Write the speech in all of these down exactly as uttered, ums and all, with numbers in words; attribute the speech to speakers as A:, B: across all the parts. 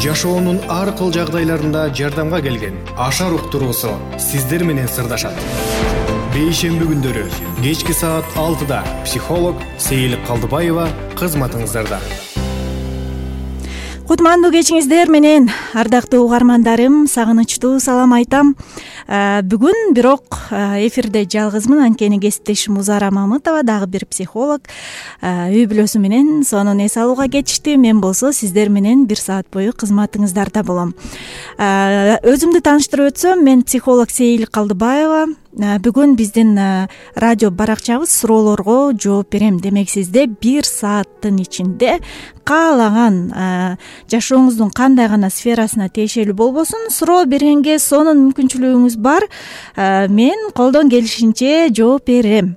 A: жашоонун ар кыл жагдайларында жардамга келген Ашар уктуруусу сиздер менен сырдашат. Бейшемби күндөрү кечки саат алтыда психолог Сейил Калдыбаева кызматыңыздарда.
B: Кутмандуу кечиңиздер менен, ардактуу угармандарым, сагынычтуу салам айтам. Бүгүн бирок эфирде жалгызмын, анткени кесиптешим Узара Мамытова, дагы бир психолог, үй бүлөсү менен сонун эс алууга кетишти. Мен болсо сиздер менен бир саат бою кызматыңыздарда болом. Өзүмдү тааныштырып өтсөм, мен психолог Сейил Калдыбаева. Бүгүн биздин радио баракчабыз суроолорго жооп берем. Демек, сизде бир сааттын ичинде каалаган жашооңуздун кандай гана сферасына тиешелүү болбосун суроо бергенге сонун мүмкүнчүлүгүңүз бар. Мен колдон келишинче жооп берем.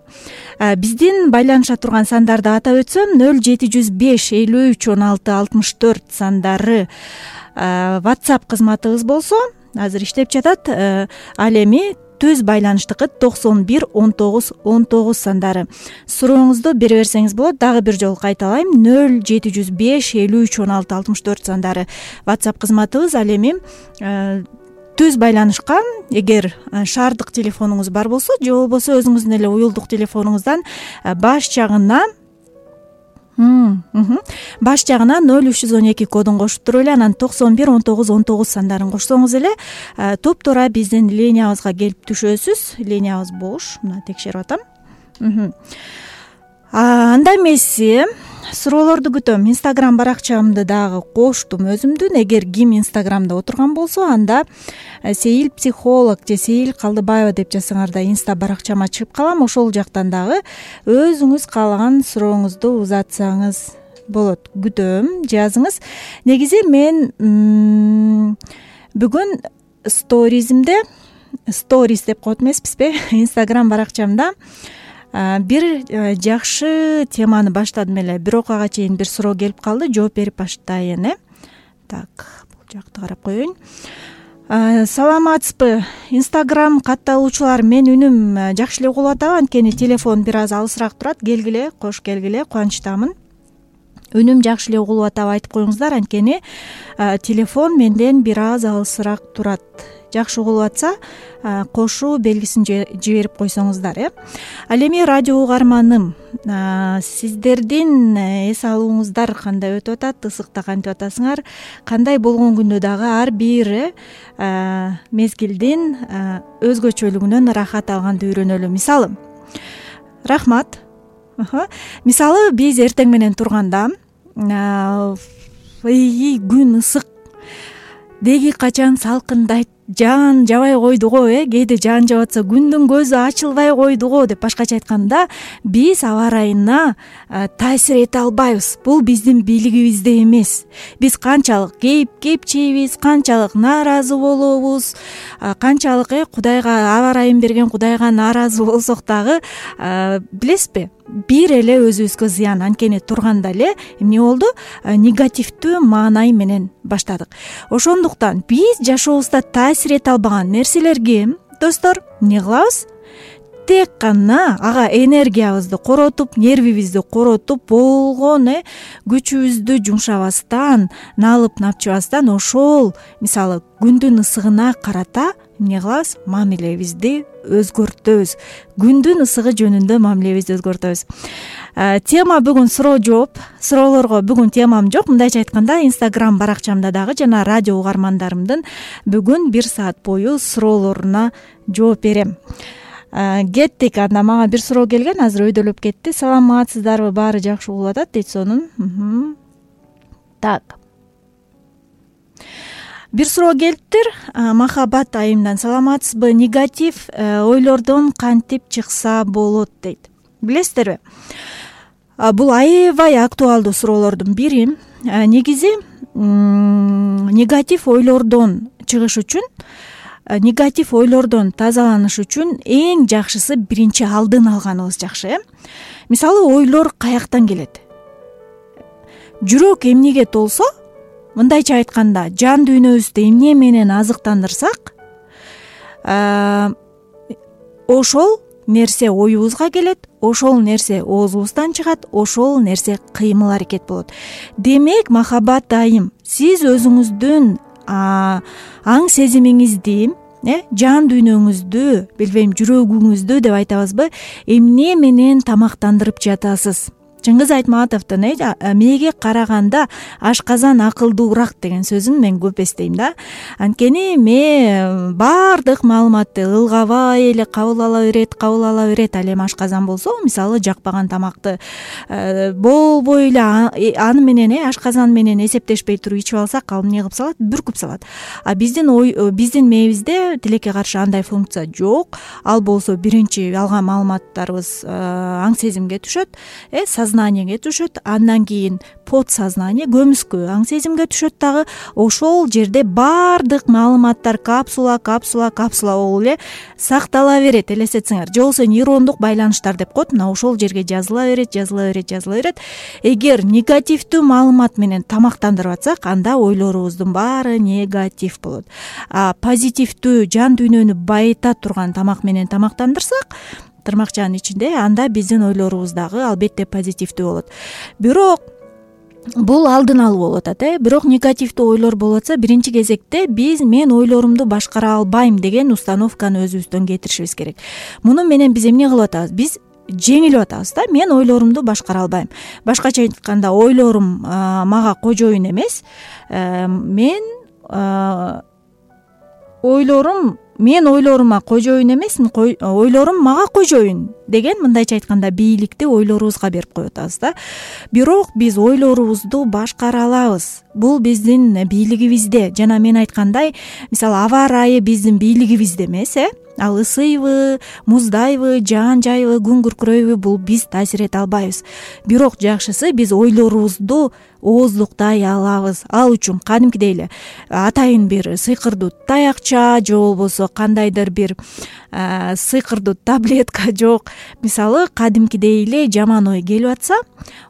B: Биздин байланыша турган сандарды атап өтсөм, нөл жети жүз беш элүү үч он алты алтымыш төрт сандары WhatsApp кызматыбыз болсо, азыр иштеп жатат. Ал эми түз байланыштыкы токсон бир он тогуз он тогуз сандары. Сурооңузду бере берсеңиз болот. Дагы бир жолу кайталайм. нөл жети жүз беш элүү үч он алты алтымыш төрт сандары WhatsApp кызматыбыз. Ал эми түз байланышка эгер шаардык телефонуңуз бар болсо, же болбосо өзүңүздүн эле уюлдук телефонуңуздан баш жагына баш жагына нөл үч жүз он эки кодун кошуп туруп эле, анан токсон бир он тогуз он тогуз сандарын кошсоңуз эле туп-туура биздин линиябызга келип түшөсүз. Линиябыз бош. Мына текшерип атам. Анда эмеси суроолорду күтөм. Инстаграм баракчамды дагы коштум өзүмдүн. Эгер ким Инстаграмда отурган болсо, анда Сейил психолог же Сейил Калдыбаева деп жазсаңар да инста баракчама чыгып калам. Ошол жактан дагы өзүңүз каалаган сурооңузду узатсаңыз болот. Күтөм, жазыңыз. Негизи мен бүгүн сторизимде, сторис деп коет эмеспизби, Инстаграм баракчамда бир жакшы теманы баштадым эле. Бирок ага чейин бир суроо келип калды, жооп берип баштайын. Э Так, бул жакты карап коеюн. Саламатсызбы, Инстаграм катталуучулар? Мен үнүм жакшы эле угулуп атабы, анткени телефон бир аз алысыраак турат. Келгиле, кош келгиле, кубанычтамын. Үнүм жакшы эле угулуп атабы айтып коюңуздар, анткени телефон менден бир аз алысыраак турат. Жакшы угулуп атса, кошуу белгисин жиберип койсоңуздар. Э Ал эми радио угарманым, сиздердин эс алууңуздар кандай өтүп атат? Ысыкта кантип атасыңар? Кандай болгон күндө дагы ар бир мезгилдин өзгөчөлүгүнөн рахат алганды үйрөнөлү. Мисалы, рахмат. Мисалы, биз эртең менен турганда, күн ысык, деги качан салкындайт, жаан жабай койдуго, э кээде жаан жаап атса күндүн көзү ачылбай койдуго деп башкача айтканда, биз аба ырайына таасир эте албайбыз. Бул биздин бийлигибизде эмес. Биз канчалык кейип кепчейбиз, канчалык нааразы болобуз, канчалык э Кудайга, аба ырайын берген Кудайга нааразы болсок дагы, билесизби, бир эле өзүбүзгө зыян. Анткени турганда эле эмне болду? Негативдүү маанай менен баштадык. Ошондуктан биз жашообузда таасир эте албаган нерселерге, достор, эмне кылабыз? Тек гана ага энергиябызды коротуп, нервибизди коротуп, болгон э күчүбүздү жумшабастан, налып напчыбастан, ошол мисалы күндүн ысыгына карата эмне кылабыз? Мамилебизди өзгөртөбүз. Күндүн ысыгы жөнүндө мамилебизди өзгөртөбүз. Тема бүгүн суроо жооп. Суроолорго бүгүн темам жок. Мындайча айтканда, Инстаграм баракчамда дагы жана радио угармандарымдын бүгүн бир саат бою суроолоруна жооп берем. Кеттик. Анда мага бир суроо келген, азыр өйдөлөп кетти. Саламатсыздарбы? Баары жакшы угулуп атат дейт сонун. Так. Бир суроо келиптир. Махабат айымдан. Саламатсызбы? Негатив ойлордон кантип чыкса болот дейт. Билесиздерби? Бул аябай актуалдуу суроолордун бири. Негизи негатив ойлордон чыгыш үчүн, негатив ойлордон тазаланыш үчүн эң жакшысы биринчи алдын алганыбыз жакшы. Мисалы, ойлор каяктан келет? Жүрөк эмнеге толсо, мындайча айтканда, жан дүйнөбүздү эмне менен азыктандырсак, ошол нерсе оюбузга келет, ошол нерсе оозубуздан чыгат, ошол нерсе кыймыл аракет болот. Демек, махабат айым, сиз өзүңүздүн аң сезимиңизди, э жан дүйнөңүздү, билбейм, жүрөгүңүздү деп айтабызбы, эмне менен тамактандырып жатасыз? Чыңгыз Айтматовдун э мээге караганда ашказан акылдуураак деген сөзүн мен көп эстейм да. Анткени мээ баардык маалыматты ылгабай эле кабыл ала берет, кабыл ала берет. Ал эми ашказан болсо, мисалы жакпаган тамакты болбой эле аны менен э ашказан менен эсептешпей туруп ичип алсак, ал эмне кылып салат? Бүркүп салат. А биздин ой биздин мээбизде тилекке каршы андай функция жок. Ал болсо биринчи алган маалыматтарыбыз аң сезимге түшөт, э сознаниеге түшөт, андан кийин подсознание, көмүскө аң сезимге түшөт дагы. Ошол жерде баардык маалыматтар капсула, капсула, капсула болуп эле сактала берет, элестетсеңер. Же болбосо нейрондук байланыштар деп коет. Мына ошол жерге жазыла берет, жазыла берет, жазыла берет. Эгер негативдүү маалымат менен тамактандырып атсак, анда ойлорубуздун баары негатив болот. А позитивдүү жан дүйнөнү байыта турган тамак менен тамактандырсак, тырмакчанын ичинде, анда биздин ойлорубуз дагы албетте позитивдүү болот. Бирок бул алдын алуу болуп атат, э бирок негативдүү ойлор болуп атса, биринчи кезекте биз мен ойлорумду башкара албайм деген установканы өзүбүздөн кетиришибиз керек. Муну менен биз эмне кылып атабыз? Биз жеңилип атабыз да. Мен ойлорумду башкара албайм. Башкача айтканда, ойлорум мага кожоюн эмес. Мен ойлорум Мен ойлорума кожоюн эмесмин, ойлорум мага кожоюн деген, мындайча айтканда, бийликти ойлорубузга берип коюп атабыз да. Бирок биз ойлорубузду башкара алабыз. Бул биздин бийлигибизде. Жана мен айткандай, мисалы аба ырайы биздин бийлигибизде эмес, э ал ысыйбы, муздайбы, жаан жайбы, күн күркүрөйбү, бул биз таасир эте албайбыз. Бирок жакшысы биз ойлорубузду ооздуктай алабыз. Ал үчүн кадимкидей эле атайын бир сыйкырдуу таякча же болбосо кандайдыр бир сыйкырдуу таблетка жок. Мисалы кадимкидей эле жаман ой келип атса,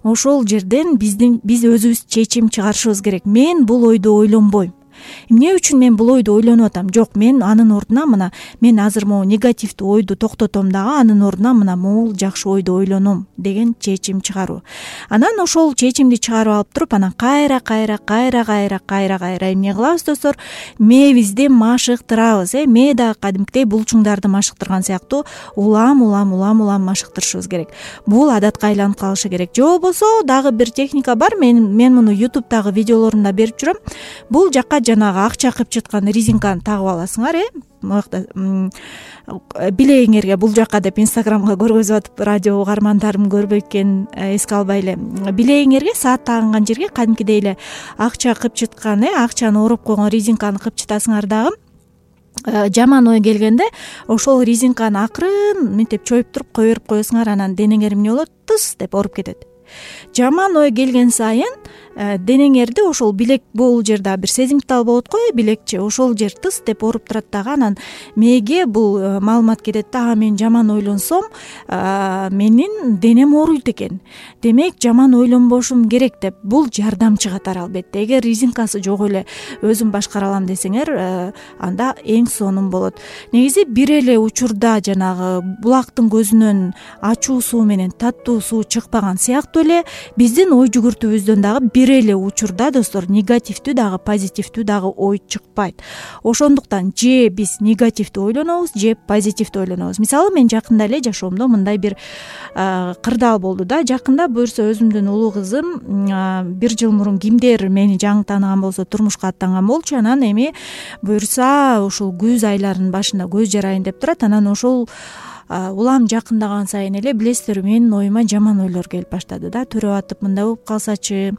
B: ошол жерден биздин биз өзүбүз чечим чыгарышыбыз керек. Мен бул ойду ойлонбойм. Эмне үчүн мен бул ойду ойлонуп атам? Жок, мен анын ордуна мына мен азыр могу негативдүү ойду токтотом дагы, анын ордуна мына могул жакшы ойду ойлоном деген чечим чыгаруу. Анан ошол чечимди чыгарып алып туруп, анан кайра кайра кайра кайра кайра кайра эмне кылабыз достор? Мээбизди машыктырабыз, э мээ дагы кадимкидей булчуңдарды машыктырган сыяктуу улам улам улам улам машыктырышыбыз керек. Бул адатка айланып калышы керек. Же болбосо дагы бир техника бар. Мен мен муну ютубтагы видеолорумда берип жүрөм. Бул жакка жанагы акча кып чыткан резинканы тагып аласыңар, э могакта билегиңерге, бул жака деп инстаграмга көргөзүп атып, радио угармандарым көрбөйт экен, эске албай эле. Билегиңерге, саат тагынган жерге кадимкидей эле акча кып чыткан, э акчаны ороп койгон резинканы кып чытасыңар дагы. Жаман ой келгенде ошол резинканы акырын мынтип чоюп туруп кое берип коесуңар, анан денеңер эмне болот? Тыс деп ооруп кетет. Жаман ой келген сайын денеңерди ошол билек, бул жерде бир сезимтал болот го, билекчи, ошол жер тыс деп ооруп турат дагы. Анан мээге бул маалымат кетет да, мен жаман ойлонсом менин денем ооруйт экен, демек жаман ойлонбошум керек деп. Бул жардамчы катары албетте. Эгер резинкасы жок эле өзүм башкара алам десеңер, анда эң сонун болот. Негизи бир эле учурда жанагы булактын көзүнөн ачуу суу менен таттуу суу чыкпаган сыяктуу эле биздин ой жүгүртүүбүздөн дагы бир эле учурда достор негативдүү дагы позитивдүү дагы ой чыкпайт. Ошондуктан же биз негативдүү ойлонобуз, же позитивдүү ойлонобуз. Мисалы мен жакында эле жашоомдо мындай бир кырдаал болду да. Жакында буюрса өзүмдүн улуу кызым бир жыл мурун кимдер мени жаңы тааныган болсо турмушка аттанган болчу. Анан эми буюрса ушул күз айларынын башында көз жарайын деп турат. Анан ошол улам жакындаган сайын эле, билесиздер, менин оюма жаман ойлор келип баштады да. Төрөп атып мындай болуп калсачы,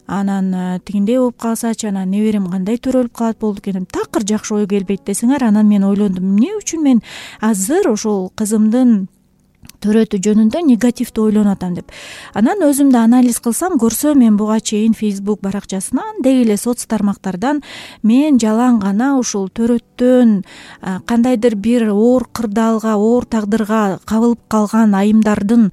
B: анан тигиндей болуп калсачы, анан неберем кандай төрөлүп калат болду экен. Такыр жакшы ой келбейт десеңер. Анан мен ойлондум, эмне үчүн мен азыр ошол кызымдын төрөтүү жөнүндө негативдүү ойлонуп атам деп. Анан өзүмдү анализ кылсам, көрсөм, мен буга чейин Facebook баракчасынан, деги эле соц тармактардан мен жалаң гана ушул төрөттөн кандайдыр бир оор кырдаалга, оор тагдырга кабылып калган айымдардын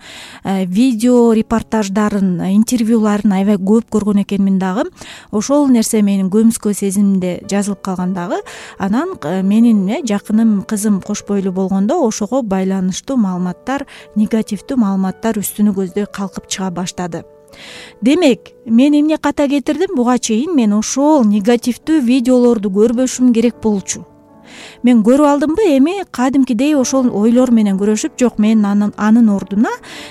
B: видео репортаждарын, интервьюларын аябай көп көргөн экенмин дагы. Ошол нерсе менин көмүскө сезимимде жазылып калган дагы. Анан менин жакыным кызым кош бойлуу болгондо ошого байланыштуу маалыматтар, негативдүү маалыматтар үстүнү көздөй калкып чыга баштады. Демек мен эмне ката кетирдим? Буга чейин мен ошол негативдүү видеолорду көрбөшүм керек болчу. Мен көрүп алдымбы, эми кадимкидей ошол ойлор менен күрөшүп, жок мен анын анын ордуна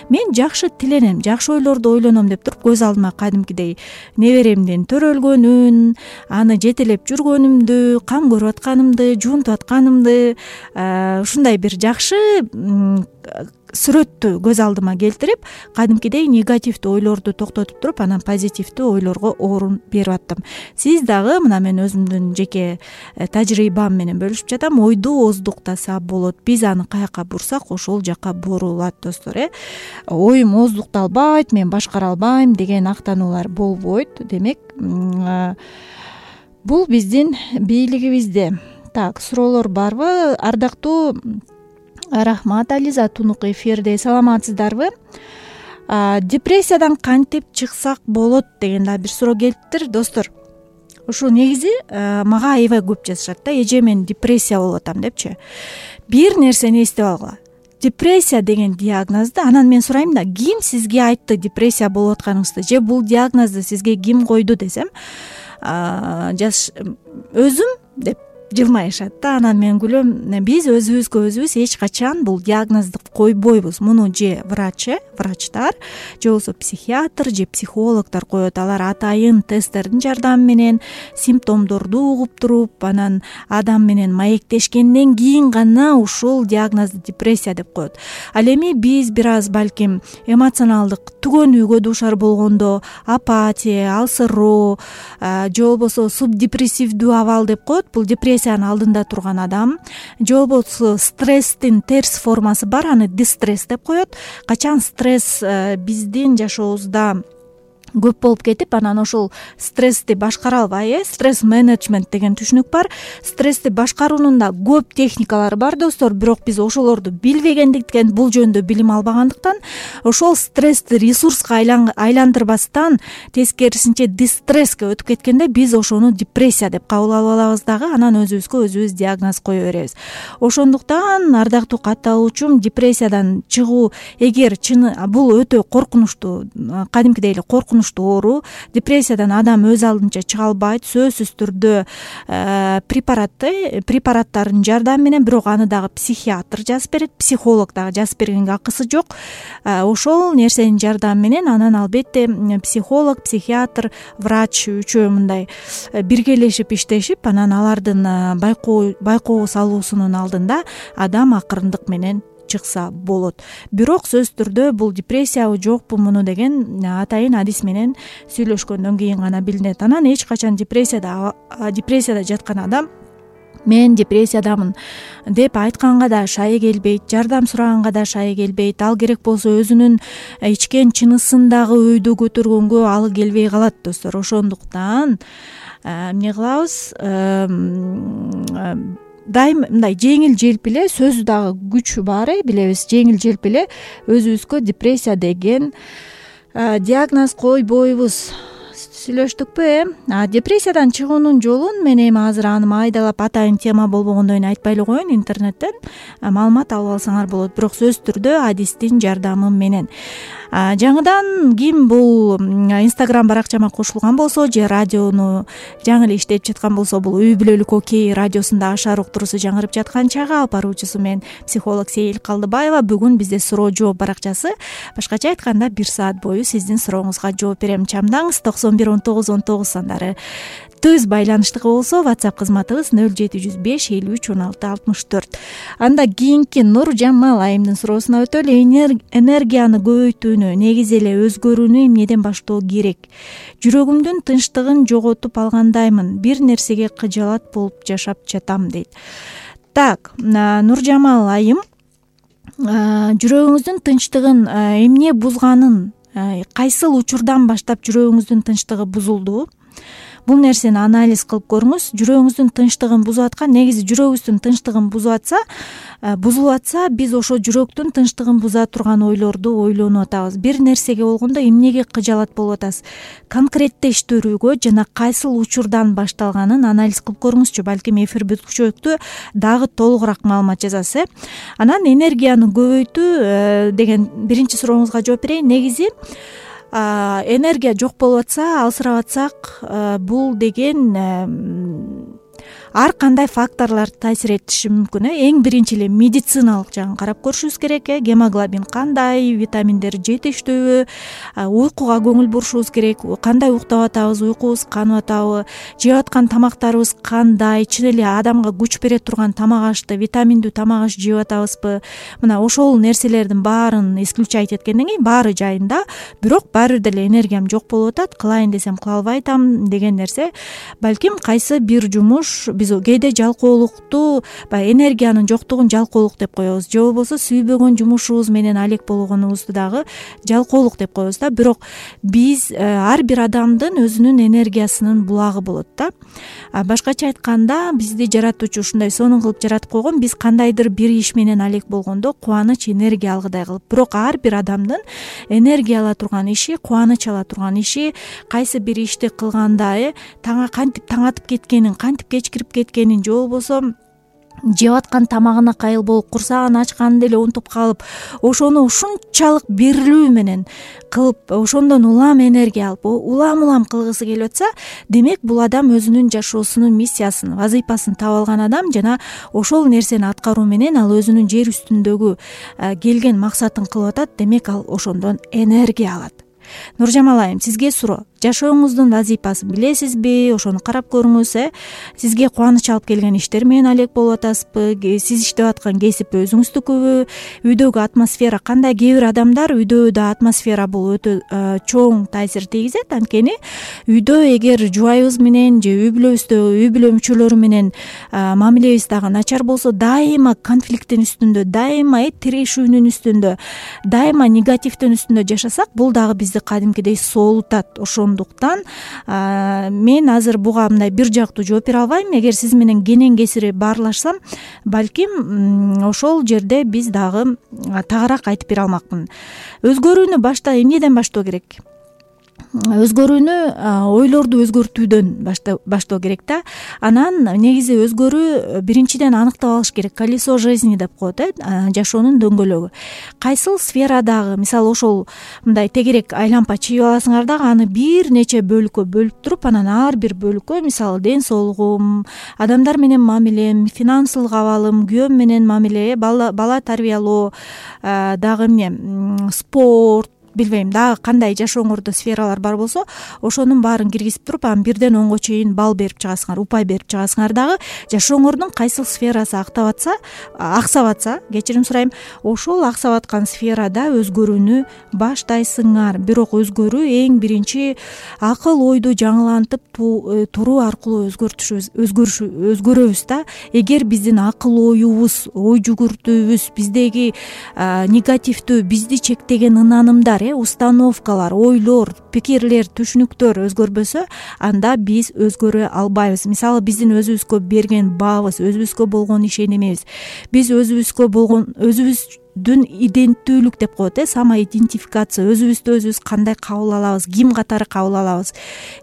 B: мен жакшы тиленем, жакшы ойлорду ойлоном деп туруп көз алдыма кадимкидей неберемдин төрөлгөнүн, аны жетелеп жүргөнүмдү, кам көрүп атканымды, жуунтуп атканымды, ушундай бир жакшы сүрөттү көз алдыма келтирип, кадимкидей негативдүү ойлорду токтотуп туруп, анан позитивдүү ойлорго орун берип аттым. Сиз дагы мына мен өзүмдүн жеке тажрыйбам менен бөлүшүп жатам. Ойду оздуктаса болот. Биз аны каяка бурсак, ошол жака бурулат, достор. Э оюм оздукталбайт, мен башкара албайм деген актануулар болбойт. Демек, бул биздин бийлигибизде. Так, суроолор барбы? Ардактуу Рахмат, Ализа Тунук эфирде. Саламатсыздарбы? Депрессиядан кантип чыксак болот деген да бир суроо келиптир, достор. Ушу негизи мага аябай көп жазышат да, эже мен депрессия болуп атам депчи. Бир нерсени эстеп алгыла. Депрессия деген диагнозду анан мен сурайм да, ким сизге айтты депрессия болуп атканыңызды, же бул диагнозду сизге ким койду десем, жаш өзүм деп жылмайышат да. Анан мен күлөм, биз өзүбүзгө өзүбүз эч качан бул диагнозду койбойбуз. Муну же врач, врачтар, же болбосо психиатр, же психологдор коет. Алар атайын тесттердин жардамы менен симптомдорду угуп туруп, анан адам менен маектешкенден кийин гана ушул диагнозду депрессия деп коет. Ал эми биз бир аз балким эмоционалдык түгөнүүгө дуушар болгондо, апатия, алсыроо, же болбосо субдепрессивдүү абал деп коет. Бул депрессиянын алдында турган адам, же болбосо стресстин терс формасы бар, аны дистресс деп коет. Качан стресс биздин жашообузда көп болуп кетип, анан ошол стрессти башкара албай, э стресс менеджмент деген түшүнүк бар. Стрессти башкаруунун да көп техникалары бар, достор, бирок биз ошолорду билбегендиктен, бул жөнүндө билим албагандыктан, ошол стрессти ресурска айландырбастан, тескерисинче дистреске өтүп кеткенде биз ошону депрессия деп кабыл алып алабыз дагы, анан өзүбүзгө өзүбүз диагноз кое беребиз. Ошондуктан, ардактуу катталуучум, депрессиядан чыгуу эгер чыны бул өтө коркунучтуу, кадимкидей эле коркунучтуу оору. Депрессиядан адам өз алдынча чыга албайт, сөзсүз түрдө препаратты препараттардын жардамы менен, бирок аны дагы психиатр жазып берет, психолог дагы жазып бергенге акысы жок. Ошол нерсенин жардамы менен анан албетте психолог, психиатр, врач үчөө мындай биргелешип иштешип, анан алардын байкоо байкоого салуусунун алдында адам акырындык менен чыкса болот. Бирок сөзсүз түрдө бул депрессиябы жокпу муну деген атайын адис менен сүйлөшкөндөн кийин гана билинет. Анан эч качан депрессияда депрессияда жаткан адам мен депрессиядамын деп айтканга да шайы келбейт, жардам сураганга да шайы келбейт. Ал керек болсо өзүнүн ичкен чынысындагы өйдө көтөргөнгө алы келбей калат, достор. Ошондуктан эмне кылабыз? Дайым мындай жеңил желп эле, сөзү дагы күчү бар, э билебиз, жеңил желп эле өзүбүзгө депрессия деген диагноз койбойбуз. Сүйлөштүкпү, э депрессиядан чыгуунун жолун мен эми азыр аны майдалап атайын тема болбогондон кийин айтпай эле коеюн, интернеттен маалымат алып алсаңар болот, бирок сөзсүз түрдө адистин жардамы менен. Жаңыдан ким бул Instagram баракчама кошулган болсо, же радиону жаңы эле иштеп жаткан болсо, бул Үй бүлөлүк окей радиосунда Ашар уктуруусу жаңырып жаткан чагы, алып баруучусу мен психолог Сейил Калдыбаева. Бүгүн бизде суроо жооп баракчасы. Башкача айтканда бир саат бою сиздин сурооңузга жооп берем. Чамдаңыз токсон бир он тогуз он тогуз сандары. Тез байланыштыгы болсо WhatsApp кызматыбыз нөл жети жүз беш элүү үч он алты алтымыш төрт. Анда кийинки Нуржамал айымдын суроосуна өтөлү. Энергияны көбөйтүүнү, негизи эле өзгөрүүнү эмнеден баштоо керек? Жүрөгүмдүн тынчтыгын жоготуп алгандаймын. Бир нерсеге кыжалат болуп жашап жатам, дейт. Так, Нуржамал айым, жүрөгүңүздүн тынчтыгын эмне бузганын, кайсыл учурдан баштап жүрөгүңүздүн тынчтыгы бузулду? Бул нерсени анализ кылып көрүңүз. Жүрөгүңүздүн тынчтыгын бузуп аткан, негизи жүрөгүбүздүн тынчтыгын бузуп атса, бузулуп атса, биз ошо жүрөктүн тынчтыгын буза турган ойлорду ойлонуп атабыз. Бир нерсеге болгондо эмнеге кыжалат болуп атасыз? Конкреттештирүүгө жана кайсыл учурдан башталганын анализ кылып көрүңүзчү. Балким эфир бүткүчөктү дагы толугураак маалымат жазасыз, э Анан энергияны көбөйтүү деген биринчи сурооңузга жооп берейин. Негизи энергия жок болуп атса, алсырап атсак, бул деген ар кандай факторлор таасир этиши мүмкүн. э эң биринчи эле медициналык жагын карап көрүшүбүз керек. э гемоглобин кандай, витаминдер жетиштүүбү, уйкуга көңүл бурушубуз керек, кандай уктап атабыз, уйкубуз канып атабы, жеп аткан тамактарыбыз кандай, чын эле адамга күч бере турган тамак ашты, витаминдүү тамак аш жеп атабызбы. Мына ошол нерселердин баарын исключать эткенден кийин баары жайында, бирок баары бир деле энергиям жок болуп атат, кылайын десем кыла албай атам деген нерсе балким кайсы бир жумуш биз кээде жалкоолукту, баягы энергиянын жоктугун жалкоолук деп коебуз, же болбосо сүйбөгөн жумушубуз менен алек болгонубузду дагы жалкоолук деп коебуз да. Бирок биз ар бир адамдын өзүнүн энергиясынын булагы болот да. Башкача айтканда, бизди жаратуучу ушундай сонун кылып жаратып койгон, биз кандайдыр бир иш менен алек болгондо кубаныч, энергия алгыдай кылып. Бирок ар бир адамдын энергия ала турган иши, кубаныч ала турган иши, кайсы бир ишти кылганда э таңга кантип таң атып кеткенин, кантип кечкирип кеткенин, же болбосо жеп аткан тамагына кайыл болуп, курсагын ачканды эле унутуп калып, ошону ушунчалык берилүү менен кылып, ошондон улам энергия алып, улам-улам кылгысы келип атса, демек бул адам өзүнүн жашоосунун миссиясын, вазыйпасын таап алган адам жана ошол нерсени аткаруу менен ал өзүнүн жер үстүндөгү келген максатын кылып атат. Демек ал ошондон энергия алат. Нуржамал айым, сизге суроо: жашооңуздун вазыйпасын билесизби? Ошону карап көрүңүз. э Сизге кубаныч алып келген иштер менен алек болуп атасызбы? Сиз иштеп аткан кесип өзүңүздүкүбү? Үйдөгү атмосфера кандай? Кээ бир адамдар үйдө да атмосфера бул өтө чоң таасир тийгизет. Анткени үйдө эгер жубайыбыз менен же үй бүлөбүздө үй бүлө мүчөлөрү менен мамилебиз дагы начар болсо, дайыма конфликттин үстүндө, дайыма тирешүүнүн үстүндө, дайыма негативдин үстүндө жашасак, бул дагы бизди кадимкидей соолутат. Ошондуктан мен азыр буга мындай бир жактуу жооп бере албайм. Эгер сиз менен кенен кесири баарлашсам, балким ошол жерде биз дагы тагыраак айтып бере алмакмын. Өзгөрүүнү башта эмнеден баштоо керек? Өзгөрүүнү ойлорду өзгөртүүдөн баштоо керек да. Анан негизи өзгөрүү биринчиден аныктап алыш керек. Колесо жизни деп коет, э жашоонун дөңгөлөгү. Кайсыл сферадагы, мисалы ошол мындай тегерек айлампа чийип аласыңар дагы, аны бир нече бөлүккө бөлүп туруп, анан ар бир бөлүккө, мисалы ден соолугум, адамдар менен мамилем, финансылык абалым, күйөөм менен мамиле, бала, бала тарбиялоо, дагы эмне, спорт, билбейм дагы кандай жашооңордо сфералар бар болсо, ошонун баарын киргизип туруп, анан бирден онго чейин балл берип чыгасыңар, упай берип чыгасыңар дагы. Жашооңордун кайсыл сферасы актап атса, аксап атса, кечирим сурайм, ошол аксап аткан сферада өзгөрүүнү баштайсыңар. Бирок өзгөрүү эң биринчи акыл ойду жаңылантып туруу аркылуу өзгөртүшүбүз, өзгөрүшү, өзгөрөбүз да. Эгер биздин акыл оюбуз, ой жүгүртүүбүз, биздеги негативдүү, бизди чектеген ынанымдар, установкалар, ойлор, пикирлер, түшүнүктөр өзгөрбөсө, анда биз өзгөрө албайбыз. Мисалы биздин өзүбүзгө берген баабыз, өзүбүзгө болгон ишенимибиз, биз өзүбүзгө болгон өзүбүз дүн иденттүүлүк деп коет, э самоидентификация, өзүбүздү өзүбүз кандай кабыл алабыз, ким катары кабыл алабыз.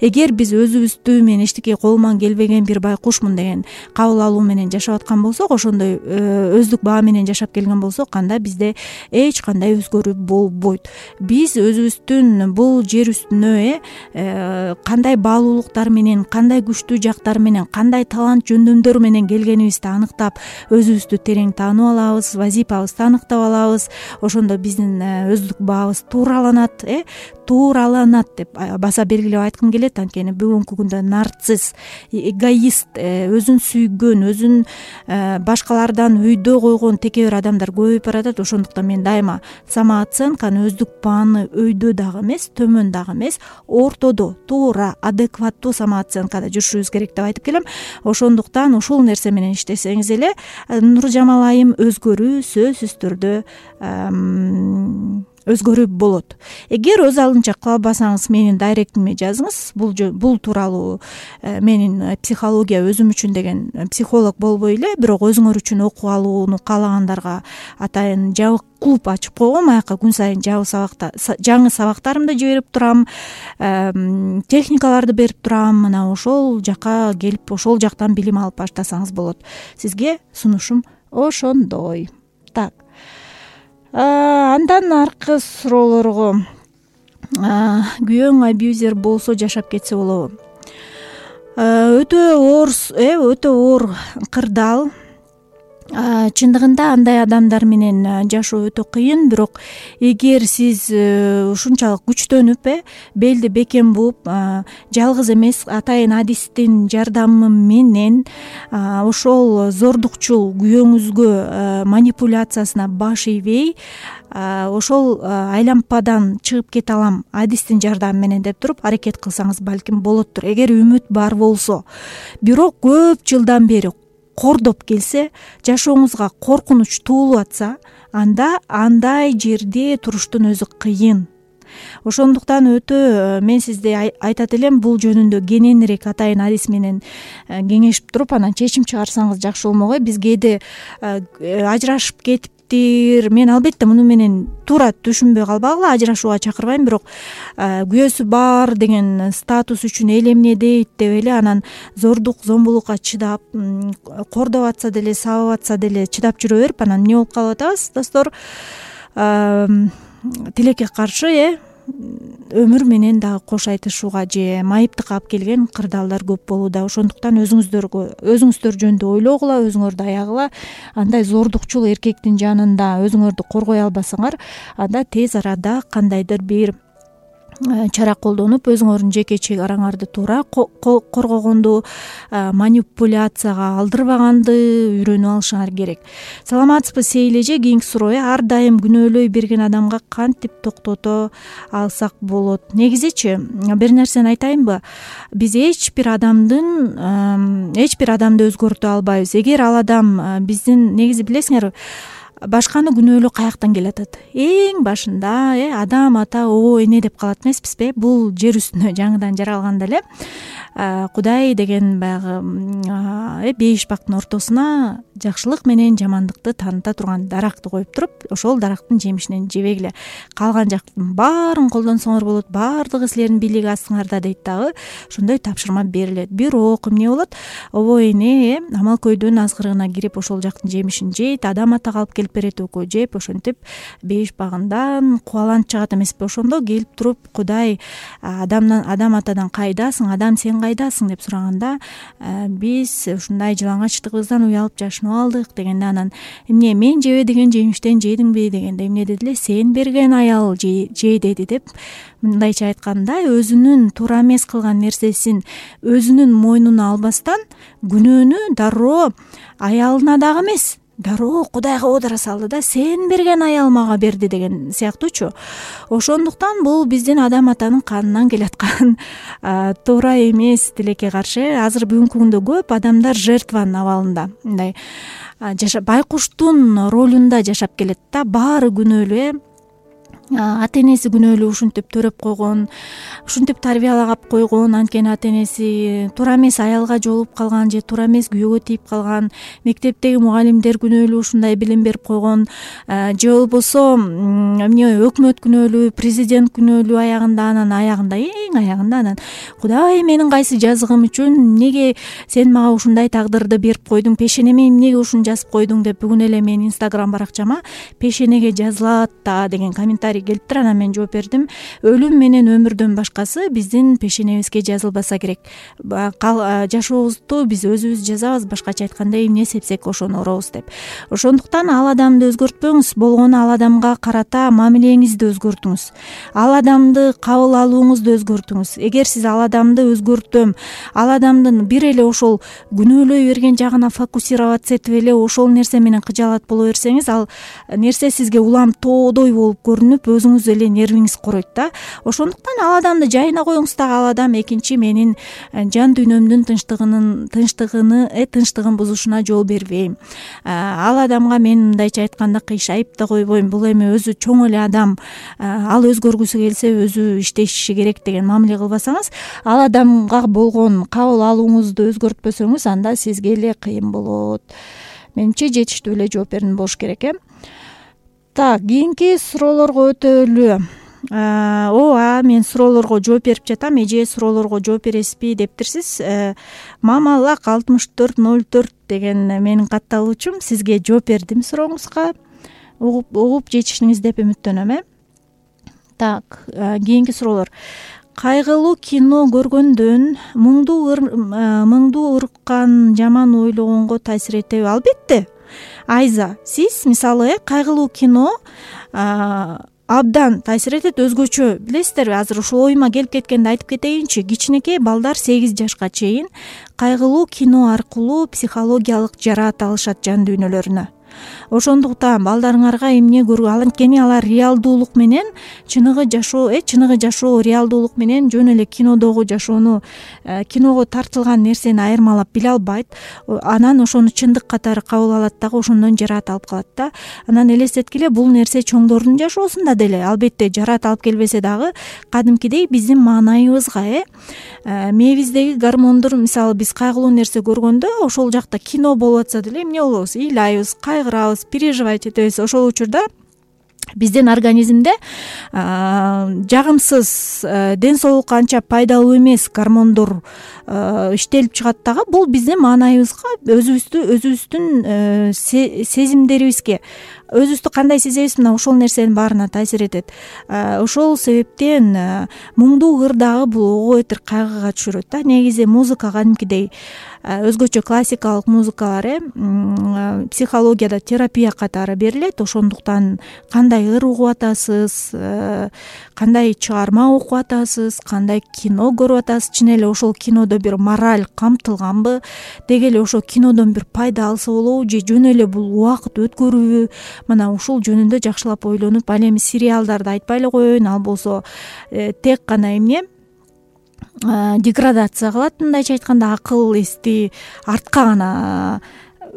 B: Эгер биз өзүбүздү мен эчтеке колуман келбеген бир байкушмун деген кабыл алуу менен жашап аткан болсок, ошондой өздүк баа менен жашап келген болсок, анда бизде эч кандай өзгөрүү болбойт. Биз өзүбүздүн бул жер үстүнө э кандай баалуулуктар менен, кандай күчтүү жактар менен, кандай талант жөндөмдөр менен келгенибизди аныктап, өзүбүздү терең таанып алабыз, вазыйпабызды аныктап алабыз. Ошондо биздин өздүк баабыз туураланат, э туураланат деп баса белгилеп айткым келет. Анткени бүгүнкү күндө нарцисс, эгоист, өзүн сүйгөн, өзүн башкалардан өйдө койгон текебер адамдар көбөйүп баратат. Ошондуктан мен дайыма самооценканы, өздүк бааны өйдө дагы эмес, төмөн дагы эмес, ортодо, туура, адекваттуу самооценкада жүрүшүбүз керек деп айтып келем. Ошондуктан ушул нерсе менен иштесеңиз эле, Нуржамал айым, өзгөрүү сөзсүз түрдө өзгөрүү болот. Эгер өз алдынча кыла албасаңыз, менин дайректиме жазыңыз. Бул бул тууралуу менин психология өзүм үчүн деген психолог болбой эле, бирок өзүңөр үчүн окуп алууну каалагандарга атайын жабык клуб ачып койгом. Аяка күн сайын жаңы сабактарымды жиберип турам, техникаларды берип турам. Мына ошол жака келип, ошол жактан билим алып баштасаңыз болот. Сизге сунушум ошондой. Так. Андан аркы суроолорго күйөөң абьюзер болсо жашап кетсе болобу? Өтө оор э өтө оор кырдаал. Чындыгында андай адамдар менен жашоо өтө кыйын, бирок эгер сиз ушунчалык күчтөнүп э белди бекем бууп, жалгыз эмес атайын адистин жардамы менен ошол зордукчул күйөөңүзгө манипуляциясына баш ийбей, ошол айлампадан чыгып кете алам адистин жардамы менен деп туруп аракет кылсаңыз балким болоттур, эгер үмүт бар болсо. Бирок көп жылдан бери кордоп келсе, жашооңузга коркунуч туулуп атса, анда андай жерде туруштун өзү кыйын. Ошондуктан өтө мен сизде айтат элем, бул жөнүндө кененирээк атайын адис менен кеңешип туруп анан чечим чыгарсаңыз жакшы болмок э. Биз кээде ажырашып кетип мен албетте муну менен туура түшүнбөй калбагыла, ажырашууга чакырбайм, бирок күйөөсү бар деген статус үчүн эл эмне дейт деп эле анан зордук зомбулукка чыдап, кордоп атса деле, сабап атса деле чыдап жүрө берип анан эмне болуп калып атабыз достор? Тилекке каршы э өмүр менен дагы кош айтышууга же майыптыкка алып келген кырдаалдар көп болууда. Ошондуктан өзүңүздөргө өзүңүздөр жөнүндө ойлогула, өзүңөрдү аягыла. Андай зордукчул эркектин жанында өзүңөрдү коргой албасаңар, анда тез арада кандайдыр бир чара колдонуп, өзүңөрдүн жеке чек араңарды туура коргогонду, манипуляцияга алдырбаганды үйрөнүп алышыңар керек. Саламатсызбы Сейил эже? Кийинки суроо: ар дайым күнөөлөй берген адамга кантип токтото алсак болот? Негизичи бир нерсени айтайынбы? Биз эч бир адамдын эч бир адамды өзгөртө албайбыз. Эгер ал адам биздин, негизи билесиңерби, башканы күнөөлөө каяктан келатат? Эң башында э адам ата обо эне деп калат эмеспизби? Бул жер үстүнө жаңыдан жаралганда эле Кудай деген баягы э беш бактын ортосуна жакшылык менен жамандыкты тааныта турган даракты коюп туруп, ошол дарактын жемишинен жебегиле, калган жактын баарын колдонсоңор болот, баардыгы силердин бийлик астыңарда дейт дагы. Ошондой тапшырма берилет. Бирок эмне болот? Обо эне э амал көйдөн азгырыгына кирип ошол жактын жемишин жейт, адам атага алып келип берет, экөө жеп, ошентип беш багындан кубаланып чыгат эмеспи? Ошондо келип туруп Кудай адамдан, адам атадан кайдасың, адам сен кайдасың деп сураганда, биз ушундай жылаңачтыгыбыздан уялып жашынып алдык дегенде, анан эмне мен жебе деген жемиштен жедиңби дегенде, эмне деди эле? Сен берген аял же деди деп, мындайча айтканда, өзүнүн туура эмес кылган нерсесин өзүнүн мойнуна албастан күнөөнү дароо аялына дагы эмес, дароо Кудайга оодура салды да, сен берген аял мага берди деген сыяктуучу. Ошондуктан бул биздин адам атанын канынан келаткан туура эмес тилекке каршы. Азыр бүгүнкү күндө көп адамдар жертванын абалында, мындай байкуштун ролунда жашап келет да, баары күнөөлүү, ата энеси күнөөлүү, ушинтип төрөп койгон, ушинтип тарбиялагап койгон, анткени ата энеси туура эмес аялга жолугуп калган же туура эмес күйөөгө тийип калган, мектептеги мугалимдер күнөөлүү, ушундай билим берип койгон, же болбосо эмне өкмөт күнөөлүү, президент күнөөлүү аягында, анан аягында, эң аягында анан Кудай менин кайсы жазыгым үчүн эмнеге сен мага ушундай тагдырды берип койдуң, пешенеме эмнеге ушуну жазып койдуң деп, бүгүн эле менин инстаграм баракчама пешенеге жазылат да деген комментарий келиптир. Анан мен жооп бердим: өлүм менен өмүрдөн башкасы биздин пешенебизге жазылбаса керек. Жашообузду биз өзүбүз жазабыз, башкача айтканда эмне сепсек ошону оробуз деп. Ошондуктан ал адамды өзгөртпөңүз, болгону ал адамга карата мамилеңизди өзгөртүңүз, ал адамды кабыл алууңузду өзгөртүңүз. Эгер сиз ал адамды өзгөртөм, ал адамдын бир эле ошол күнөөлөй берген жагына фокусироваться этип эле ошол нерсе менен кыжаалат боло берсеңиз, ал нерсе сизге улам тоодой болуп көрүнүп, өзүңүз эле нервиңиз короойт да. Ошондуктан ал адамды жайына коюңуз дагы, ал адам экинчи менин жан дүйнөмдүн тынчтыгынын тынчтыгыны э тынчтыгын бузушуна жол бербейм. Ал адамга мен мындайча айтканда кыйшайып да койбойм. Бул эми өзү чоң эле адам, ал өзгөргүсү келсе өзү иштеши керек деген мамиле кылбасаңыз, ал адамга болгон кабыл алууңузду өзгөртпөсөңүз, анда сизге эле кыйын болот. Менимче жетиштүү эле жооп бердим болуш керек э. Так, кийинки суроолорго өтөлү. Ооба, мен суроолорго жооп берип жатам. Эже, суроолорго жооп бересизби дептирсиз. Мамалак алтымыш төрт ноль төрт деген менин катталуучум. Сизге жооп бердим сурооңузга. Угуп угуп жетиштиңиз деп үмүттөнөм э. Так, кийинки суроолор. Кайгылуу кино көргөндөн муңду мыңду ырккан жаман ойлогонго таасир этеби? Албетте. Айза, сиз мисалы кайгылуу кино абдан таасир этет, өзгөчө. Билесиздерби, азыр ушул оюма келип кеткенди айтып кетейинчи. Кичинекей балдар сегиз жашка чейин кайгылуу кино аркылуу психологиялык жараат алышат жан дүйнөлөрүнө. Ошондуктан балдарыңарга эмне көргө, анткени алар реалдуулук менен чыныгы жашоо, э чыныгы жашоо реалдуулук менен жөн эле кинодогу жашоону, киного тартылган нерсени айырмалап биле албайт. Анан ошону чындык катары кабыл алат дагы, ошондон жараат алып калат да. Анан элестеткиле, бул нерсе чоңдордун жашоосунда деле албетте жараат алып келбесе дагы кадимкидей биздин маанайыбызга, э мээбиздеги гормондор, мисалы биз кайгылуу нерсе көргөндө ошол жакта кино болуп атса деле эмне болобуз? Ыйлайбыз, кайгырабыз, переживать этебиз. Ошол учурда биздин организмде жагымсыз, ден соолукка анча пайдалуу эмес гормондор иштелип чыгат дагы. Бул биздин маанайыбызга, өзүбүздү өзүбүздүн сезимдерибизге, өзүбүздү кандай сезебиз, мына ошол нерсенин баарына таасир этет. Ошол себептен муңдуу ыр дагы бул ого бетер кайгыга түшүрөт да. Негизи музыка кадимкидей өзгөчө классикалык музыкалар, э психологияда терапия катары берилет. Ошондуктан кандай ыр угуп атасыз, кандай чыгарма окуп атасыз, кандай кино көрүп атасыз, чын эле ошол кинодо бир мораль камтылганбы, деги эле ошол кинодон бир пайда алса болобу, же жөн эле бул убакыт өткөрүүбү? Мына ушул жөнүндө жакшылап ойлонуп, ал эми сериалдарды айтпай эле коеюн, ал болсо тек гана эмне деградация кылат, мындайча айтканда акыл эсти артка гана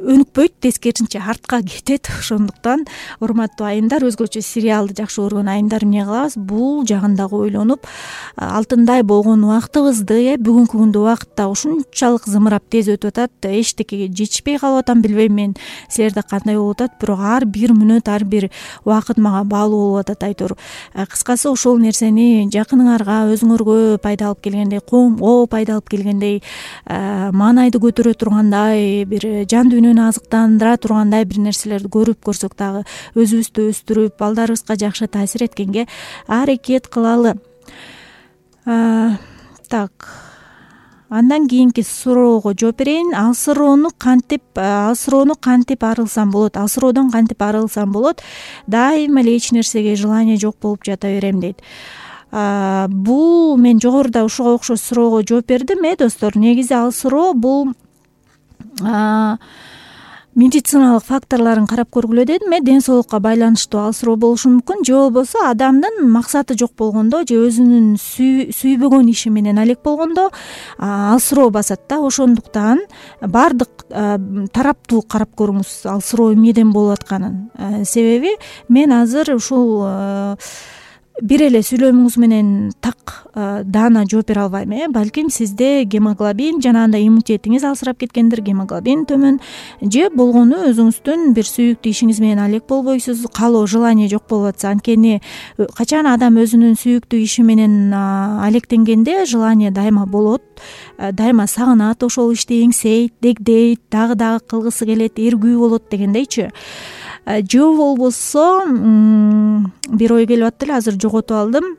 B: өнүкпөйт, тескерисинче артка кетет. Ошондуктан урматтуу айымдар, өзгөчө сериалды жакшы көргөн айымдар эмне кылабыз? Бул жагын дагы ойлонуп, алтындай болгон убактыбызды, э бүгүнкү күндө убакытта ушунчалык зымырап тез өтүп атат, эчтекеге жетишпей калып атам, билбейм мен силерде кандай болуп атат, бирок ар бир мүнөт, ар бир убакыт мага баалуу болуп атат айтор. Кыскасы, ошол нерсени жакыныңарга, өзүңөргө пайда алып келгендей, коомго пайда алып келгендей, маанайды көтөрө тургандай, бир жан дүйнөнү азыктандыра тургандай бир нерселерди көрүп көрсөк дагы өзүбүздү өстүрүп, балдарыбызга жакшы таасир эткенге аракет кылалы. Так, андан кийинки суроого жооп берейин. Алсыроону кантип алсыроону кантип арылсам болот? Алсыроодон кантип арылсам болот? Дайыма эле эч нерсеге желание жок болуп жата берем дейт. Бул мен жогоруда ушуга окшош суроого жооп бердим, э достор. Негизи алсыроо бул медициналык факторлорун карап көргүлө дедим, э ден соолукка байланыштуу алсыроо болушу мүмкүн, же болбосо адамдын максаты жок болгондо, же өзүнүн сүйбөгөн иши менен алек болгондо алсыроо басат да. Ошондуктан баардык тараптуу карап көрүңүз алсыроо эмнеден болуп атканын. Себеби мен азыр ушул бир эле сүйлөмүңүз менен так даана жооп бере албайм, э балким сизде гемоглобин, жанагындай иммунитетиңиз алсырап кеткендир, гемоглобин төмөн, же болгону өзүңүздүн бир сүйүктүү ишиңиз менен алек болбойсуз, каалоо, желание жок болуп атса. Анткени качан адам өзүнүн сүйүктүү иши менен алектенгенде желание дайыма болот, дайыма сагынат ошол ишти, эңсейт, дегдейт, дагы дагы кылгысы келет, эргүү болот дегендейчи. Же болбосо бир ой келип аттыр эле, азыр жоготуп алдым.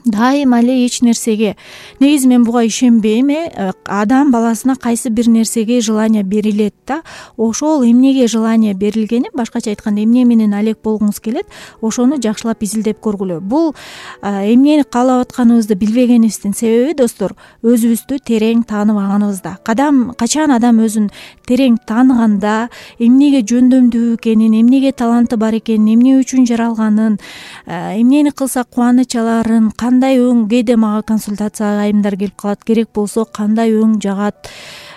B: Дайыма эле эч нерсеге, негизи мен буга ишенбейм, э адам баласына кайсы бир нерсеге желание берилет да, ошол эмнеге желание берилгени, башкача айтканда эмне менен алек болгуңуз келет, ошону жакшылап изилдеп көргүлө. Бул эмнени каалап атканыбызды билбегенибиздин себеби, достор, өзүбүздү терең тааныбаганыбызда. Кадам качан адам өзүн терең тааныганда, эмнеге жөндөмдүү экенин, эмнеге таланты бар экенин, эмне үчүн жаралганын, эмнени кылса кубаныч аларын, кандай өң, кээде мага консультацияга айымдар келип калат, керек болсо кандай өң жагат,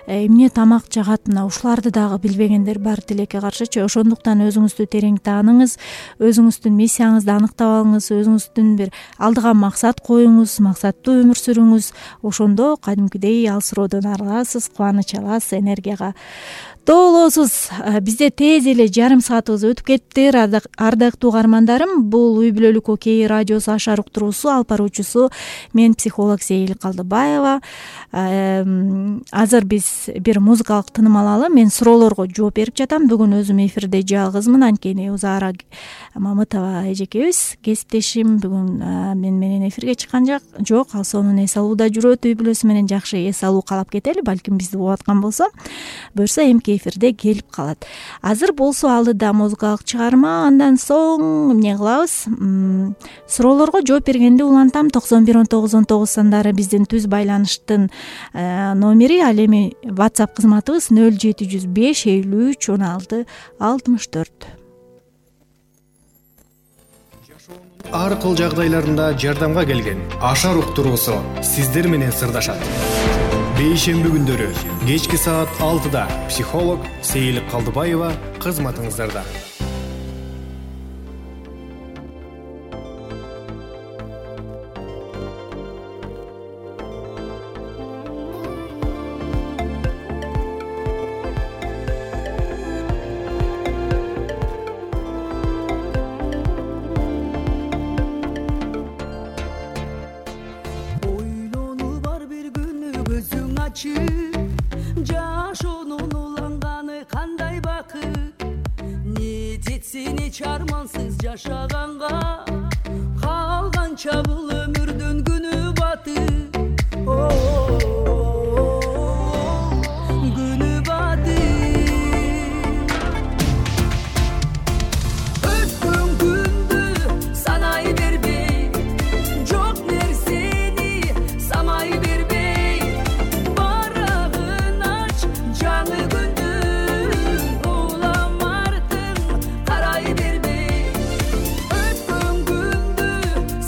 B: эмне тамак жагат, мына ушуларды дагы билбегендер бар тилекке каршычы. Ошондуктан өзүңүздү терең тааныңыз, өзүңүздүн миссияңызды аныктап алыңыз, өзүңүздүн бир алдыга максат коюңуз, максаттуу өмүр сүрүңүз. Ошондо кадимкидей алсыроодон арыласыз, кубаныч аласыз, энергияга толосуз. Бизде тез эле жарым саатыбыз өтүп кетти. Ардактуу угармандарым, бул Үй бүлөлүк окей радиосу Ашар уктуруусу, алып баруучусу мен психолог Сейил Калдыбаева. Азыр биз биз бир музыкалык тыным алалы. Мен суроолорго жооп берип жатам. Бүгүн өзүм эфирде жалгызмын, анткени Узара Мамытова эжекебиз кесиптешим бүгүн мен менен эфирге чыккан жок. Ал сонун эс алууда жүрөт, үй бүлөсү менен жакшы эс алуу каалап кетели. Балким бизди угуп аткан болсо, буюрса эмки эфирде келип калат. Азыр болсо алдыда музыкалык чыгарма, андан соң эмне кылабыз? Суроолорго жооп бергенди улантам. токсон бир он тогуз он тогуз сандары биздин түз байланыштын номери, ал эми WhatsApp кызматыбыз нөл жети жүз беш элүү үч он алты алтымыш төрт.
A: Ар кыл жагдайларында жардамга келген Ашар уктуруусу сиздер менен сырдашат. Бейшемби күндөрү кечки саат алтыда психолог Сейилик Калдыбаева кызматыңыздарда.
C: Жашоонун уланганы кандай бакыт, не жетсин эч армансыз жашаганга, калганча бул өмүрдүн күнү батып, күнү батып. Өткөн күндү санай бербей, жок нерсени самай бербей, барагын ач жаңы күндүн улам артың карай бербей. Өткөн күндү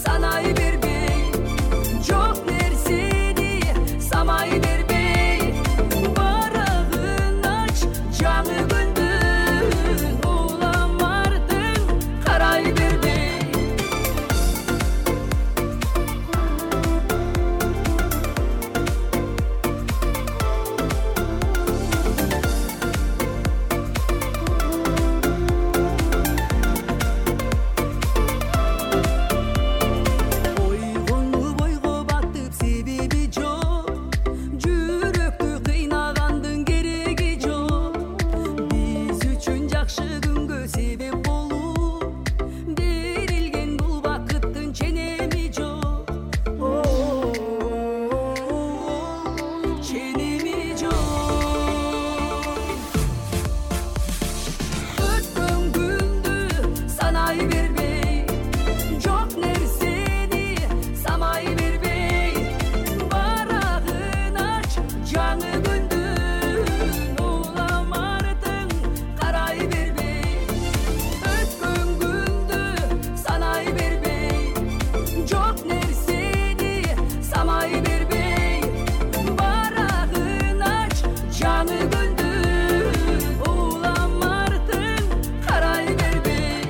C: санай бербей, жок нерсени самай бербей, барагын ач жаңы күндүн улам артың карай бербей. Ойгону бойго батып себеби жок, жүрөктү кыйнагандын кереги жок. Биз үчүн жакшы күнгө себеп болуп берилген бул бакыттын ченеми жок, ченеми жок. Өткөн күндү санай бербей, жок нерсени самай бербей, барагын ач жаңы күндүн улам артың карай бербей. Өткөн күндү санай бербей, жок нерсени самай бербей, барагын ач жаңы күндүн улам артың карай бербей.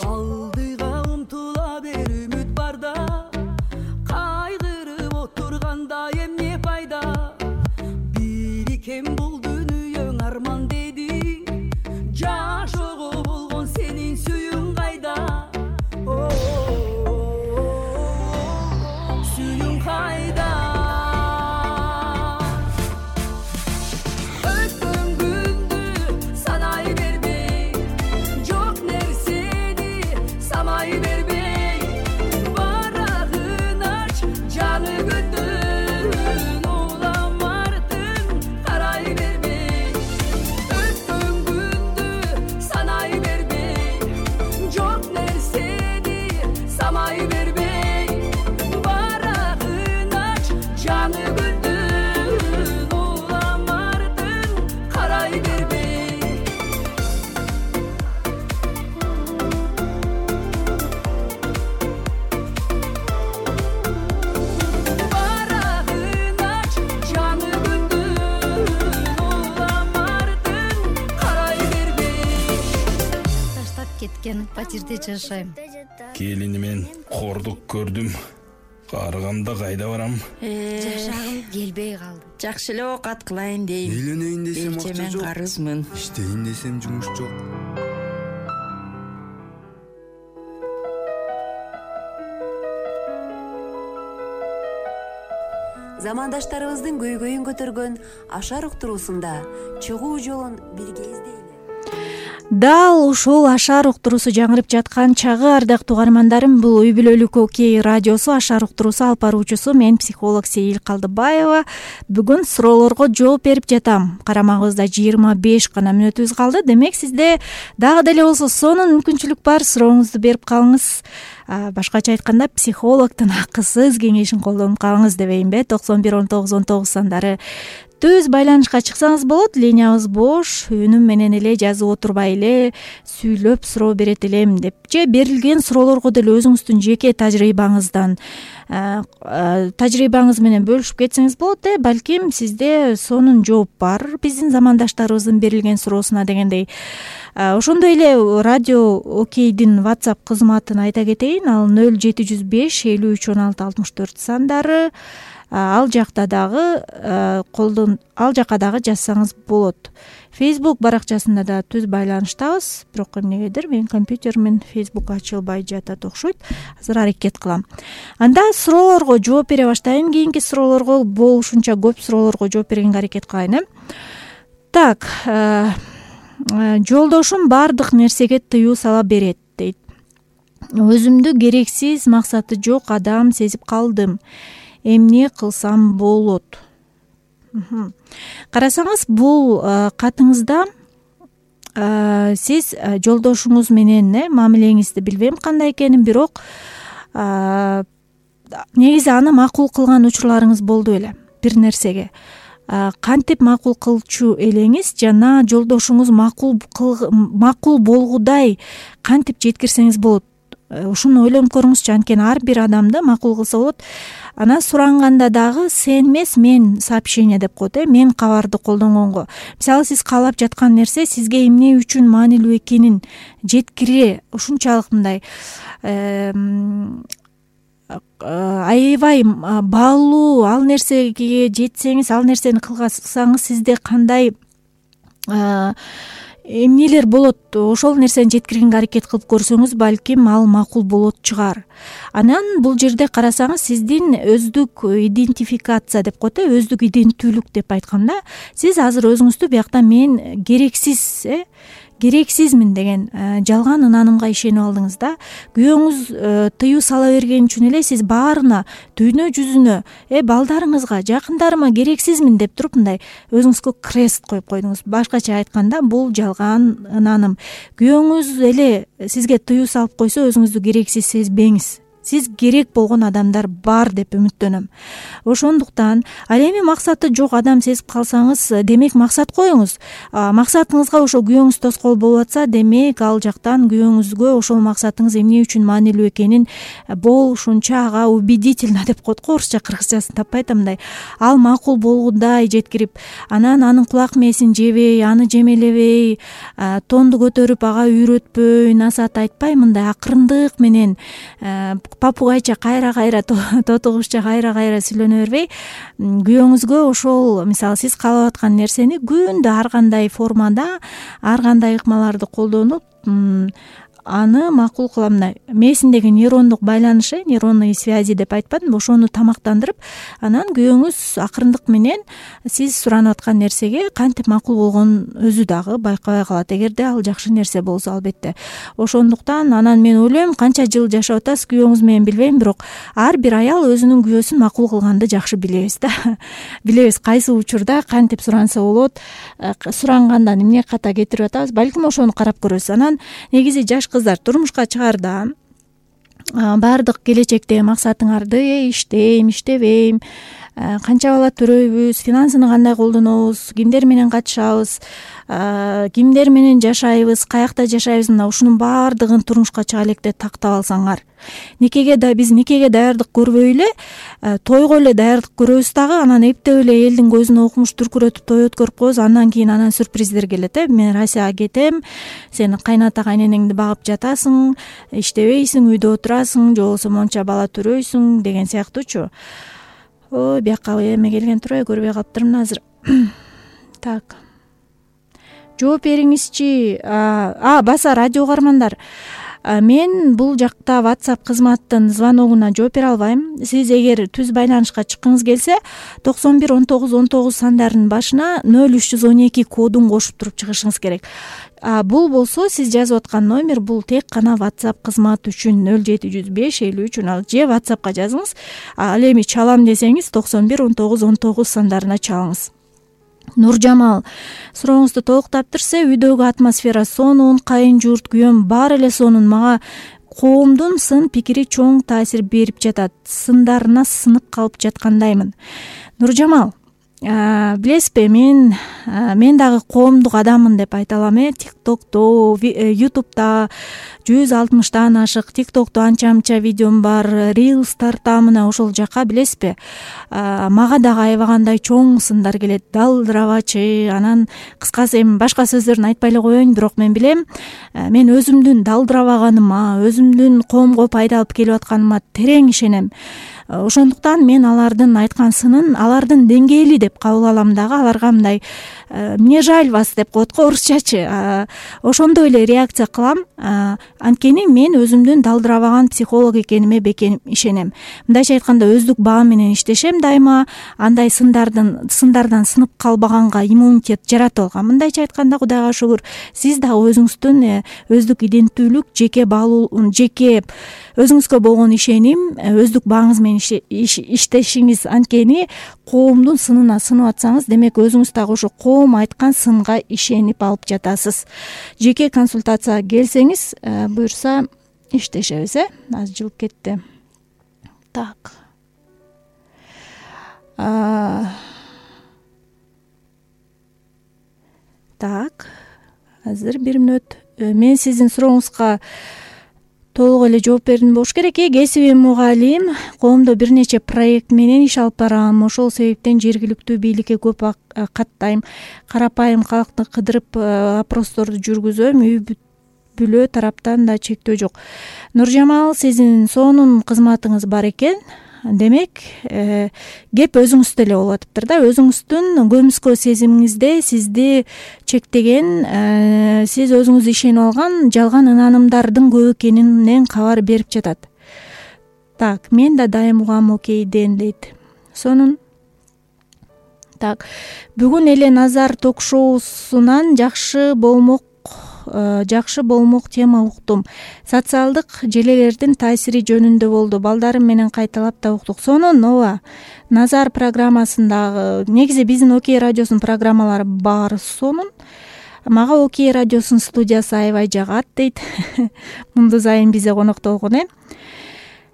C: Алдыга умтула бер, үмүт барда, кайгырып отурганда эмне пайда? Бирикен бул дүнүйөң арман деди, жашоого болгон сенин сүйүң кайда? Сүйүң кайда? Өткөн күндү санай бербей, жок нерсени самай бербей, барагын ач жаңы күндүн улам артың карай бербей. Өткөн күндү санай бербей, жок нерсени самай бербей, барагын ач жаңы күндүн улам артың карай бербей. Барагын ач жаңы күндүн улам артың карай бербей.
D: Таштап кеткен патирде жашайм.
E: Келинимен кордук көрдүм.
D: Карыганда кайда барам?
E: Жашагым келбей калды. Жакшы эле оокат кылайын дейм.
F: Үйлөнөйүн десем акча
E: Мен
F: жок.
E: карызмын.
F: Иштейин десем жумуш жок.
G: Замандаштарыбыздын көйгөйүн көтөргөн Ашар уктуруусунда чыгуу жолун бирге издейли.
B: Дал ушул Ашар уктуруусу жаңырып жаткан чагы, ардактуу угармандарым, бул үй бүлөлүк окей радиосу, Ашар уктуруусу алып баруучусу мен психолог Сейил Калдыбаева. Бүгүн суроолорго жооп берип жатам. Карамагыбызда жыйырма беш гана мүнөтүбүз калды. Демек сизде дагы деле болсо сонун мүмкүнчүлүк бар. Сурооңузду берип калыңыз. Башкача айтканда, психологдун акысыз кеңешин колдонуп калыңыз дебейинби? токсон бир он тогуз он тогуз сандары түз байланышка чыксаңыз болот. Линиябыз бош. Үнүм менен эле жазып отурбай эле сүйлөп суроо берет элем деп же берилген суроолорго деле өзүңүздүн жеке тажрыйбаңыздан тажрыйбаңыз менен бөлүшүп кетсеңиз болот. Э балким сизде сонун жооп бар биздин замандаштарыбыздын берилген суроосуна дегендей. Ошондой эле радио окейдин WhatsApp кызматын айта кетейин. Ал нөл жети жүз беш элүү үч он алты алтымыш төрт сандары. Ал жакта дагы колдон ал жака дагы жазсаңыз болот. Facebook баракчасында да түз байланыштабыз. Бирок эмнегедир менин компьютеримен Facebook ачылбай жатат окшойт. Азыр аракет кылам. Анда суроолорго жооп бере баштайын. Кийинки суроолорго болушунча көп суроолорго жооп бергенге аракет кылайын. Э Так, жолдошум баардык нерсеге тыюу сала берет дейт. Өзүмдү керексиз, максаты жок адам сезип калдым. Эмне кылсам болот? Карасаңыз, бул катыңызда сиз жолдошуңуз менен мамилеңизди билбейм кандай экенин, бирок негизи аны макул кылган учурларыңыз болду беле бир нерсеге. Кантип макул кылчу элеңиз жана жолдошуңуз макул макул болгудай кантип жеткирсеңиз болот? Ушуну ойлонуп көрүңүзчү. Анткени ар бир адамды макул кылса болот. Анан суранганда дагы сен эмес, мен сообщение деп коет, э мен кабарды колдонгонго. Мисалы, сиз каалап жаткан нерсе сизге эмне үчүн маанилүү экенин жеткире ушунчалык мындай аябай баалуу, ал нерсеге жетсеңиз, ал нерсени кылсаңыз сизде кандай эмнелер болот, ошол нерсени жеткиргенге аракет кылып көрсөңүз, балким ал макул болот чыгар. Анан бул жерде карасаңыз, сиздин өздүк идентификация деп коет, э өздүк иденттүүлүк деп айтканда, сиз азыр өзүңүздү биякта мен керексиз, э керексизмин деген жалган ынанымга ишенип алдыңыз да. Күйөөңүз тыюу сала берген үчүн эле сиз баарына, дүйнө жүзүнө, э балдарыңызга, жакындарыма керексизмин деп туруп мындай өзүңүзгө крест коюп койдуңуз. Башкача айтканда, бул жалган ынаным. Күйөөңүз эле сизге тыюу салып койсо, өзүңүздү керексиз сезбеңиз. Сиз керек болгон адамдар бар деп үмүттөнөм. Ошондуктан, ал эми максаты жок адам сезип калсаңыз, демек максат коюңуз. Максатыңызга ошо күйөөңүз тоскоол болуп атса, демек ал жактан күйөөңүзгө ошол максатыңыз эмне үчүн маанилүү экенин болушунча ага убедительно деп коет го, орусча кыргызчасын таппай атамдай. Ал макул болгудай жеткирип, анан анын кулак мээсин жебей, аны жемелебей, тонду көтөрүп ага үйрөтпөй, насаат айтпай, мындай акырындык менен папугайча кайра-кайра, тотугушча кайра-кайра сүйлөнө бербей, күйөөңүзгө ошол, мисалы, сиз каалап аткан нерсени күндө ар кандай формада, ар кандай ыкмаларды колдонуп, аны макул кыламын. Мээсиндеги нейрондук байланыш, нейронный связи деп айтпадымбы, ошону тамактандырып, анан күйөөңүз акырындык менен сиз суранып аткан нерсеге кантип макул болгонун өзү дагы байкабай калат, эгерде ал жакшы нерсе болсо, албетте. Ошондуктан анан мен ойлойм, канча жыл жашап атасыз күйөөңүз менен билбейм, бирок ар бир аял өзүнүн күйөөсүн макул кылганды жакшы билебиз да. Билебиз кайсы учурда кантип суранса болот, сурангандан эмне ката кетирип атабыз, балким ошону карап көрөсүз. Анан негизи жаш кыздар турмушка чыгарда баардык келечектеги максатыңарды иштейм, иштебейм, канча бала төрөйбүз, финансыны кандай колдонобуз, кимдер менен катышабыз, кимдер менен жашайбыз, каякта жашайбыз, мына ушунун баардыгын турмушка чыга электе тактап алсаңар. Никеге да биз никеге даярдык көрбөй эле, тойго эле даярдык көрөбүз дагы, анан эптеп эле элдин көзүнө укмуш дүркүрөтүп той өткөрүп коебуз. Андан кийин анан сюрприздер келет. Э мен Россияга кетем, сен кайната кайненеңди багып жатасың, иштебейсиң, үйдө отурасың, же болбосо монча бала төрөйсүң деген сыяктуучу. Ой, бияка эме келген турбайбы, көрбөй калыптырмын азыр. Так. Жооп бериңизчи. А, баса радио угармандар. Мен бул жакта WhatsApp кызматтын звоногуна жооп бере албайм. Сиз эгер түз байланышка чыккыңыз келсе, токсон бир он тогуз он тогуз сандарынын башына нөл үч жүз он эки кодун кошуп туруп чыгышыңыз керек. А бул болсо сиз жазып аткан номер, бул тек гана WhatsApp кызматы үчүн нөл жети жүз беш элүү үч он алты же WhatsAppка жазыңыз. Ал эми чалам десеңиз токсон бир он тогуз он тогуз сандарына чалыңыз. Нуржамал, сурооңузду толуктаптырса, үйдөгү атмосфера сонун, кайын журт, күйөөм баары эле сонун. Мага коомдун сын пикири чоң таасир берип жатат. Сындарына сынып калып жаткандаймын. Нуржамал, билесизби, мен мен дагы коомдук адаммын деп айта алам. Э TikTok'то, YouTube'да жүз алтымыштан ашык, TikTok'то анча-мынча видеом бар, Reels тартам, мына ошол жака, билесизби, мага дагы аябагандай чоң сындар келет. Далдырабачы, анан кыскасы эми башка сөздөрүн айтпай эле коеюн, бирок мен билем, мен өзүмдүн далдырабаганыма, өзүмдүн коомго пайда алып келип атканыма терең ишенем. Ошондуктан мен алардын айткан сынын алардын деңгээли деп кабыл алам дагы. Аларга мындай мне жаль вас деп коет го орусчачы. Ошондой эле реакция кылам. Анткени мен өзүмдүн далдырабаган психолог экениме бекем ишенем. Мындайча айтканда, өздүк баам менен иштешем дайыма. Андай сындардын сындардан сынып калбаганга иммунитет жаратып алгам. Мындайча айтканда, Кудайга шүгүр, сиз дагы өзүңүздүн өздүк иденттүүлүк, жеке баалуу, жеке өзүңүзгө болгон ишеним, өздүк бааңыз менен иштешиңиз, анткени коомдун сынына сынып атсаңыз, демек өзүңүз дагы ошо коом айткан сынга ишенип алып жатасыз. Жеке консультацияга келсеңиз, буюрса иштешебиз. Э азыр жылып кетти. Так. Так. Азыр бир мүнөт. Мен сиздин сурооңузга толук эле жооп бердим болуш керек. Э кесиби мугалим, коомдо бир нече проект менен иш алып барам. Ошол себептен жергиликтүү бийликке көп каттайм. Карапайым калкты кыдырып опросторду жүргүзөм. Үй бүлө тараптан да чектөө жок. Нуржамал, сиздин сонун кызматыңыз бар экен. Демек, э, кеп өзүңүздө эле болуп атыптыр да. Өзүңүздүн көмүскө сезимиңизде сизди чектеген, э, сиз өзүңүз ишенип алган жалган ынанымдардын көп экенинен кабар берип жатат. Так, мен да дайым угам окейден дейт. Сонун. Так, бүгүн эле Назар ток-шоусунан жакшы болмок жакшы болмок тема уктум. Социалдык желелердин таасири жөнүндө болду. Балдарым менен кайталап да уктук. Сонун, ооба. Назар программасындагы, негизи биздин Окей радиосунун программалары баары сонун. Мага Окей радиосунун студиясы аябай жагат дейт. Мундуз айым бизде конокто болгон.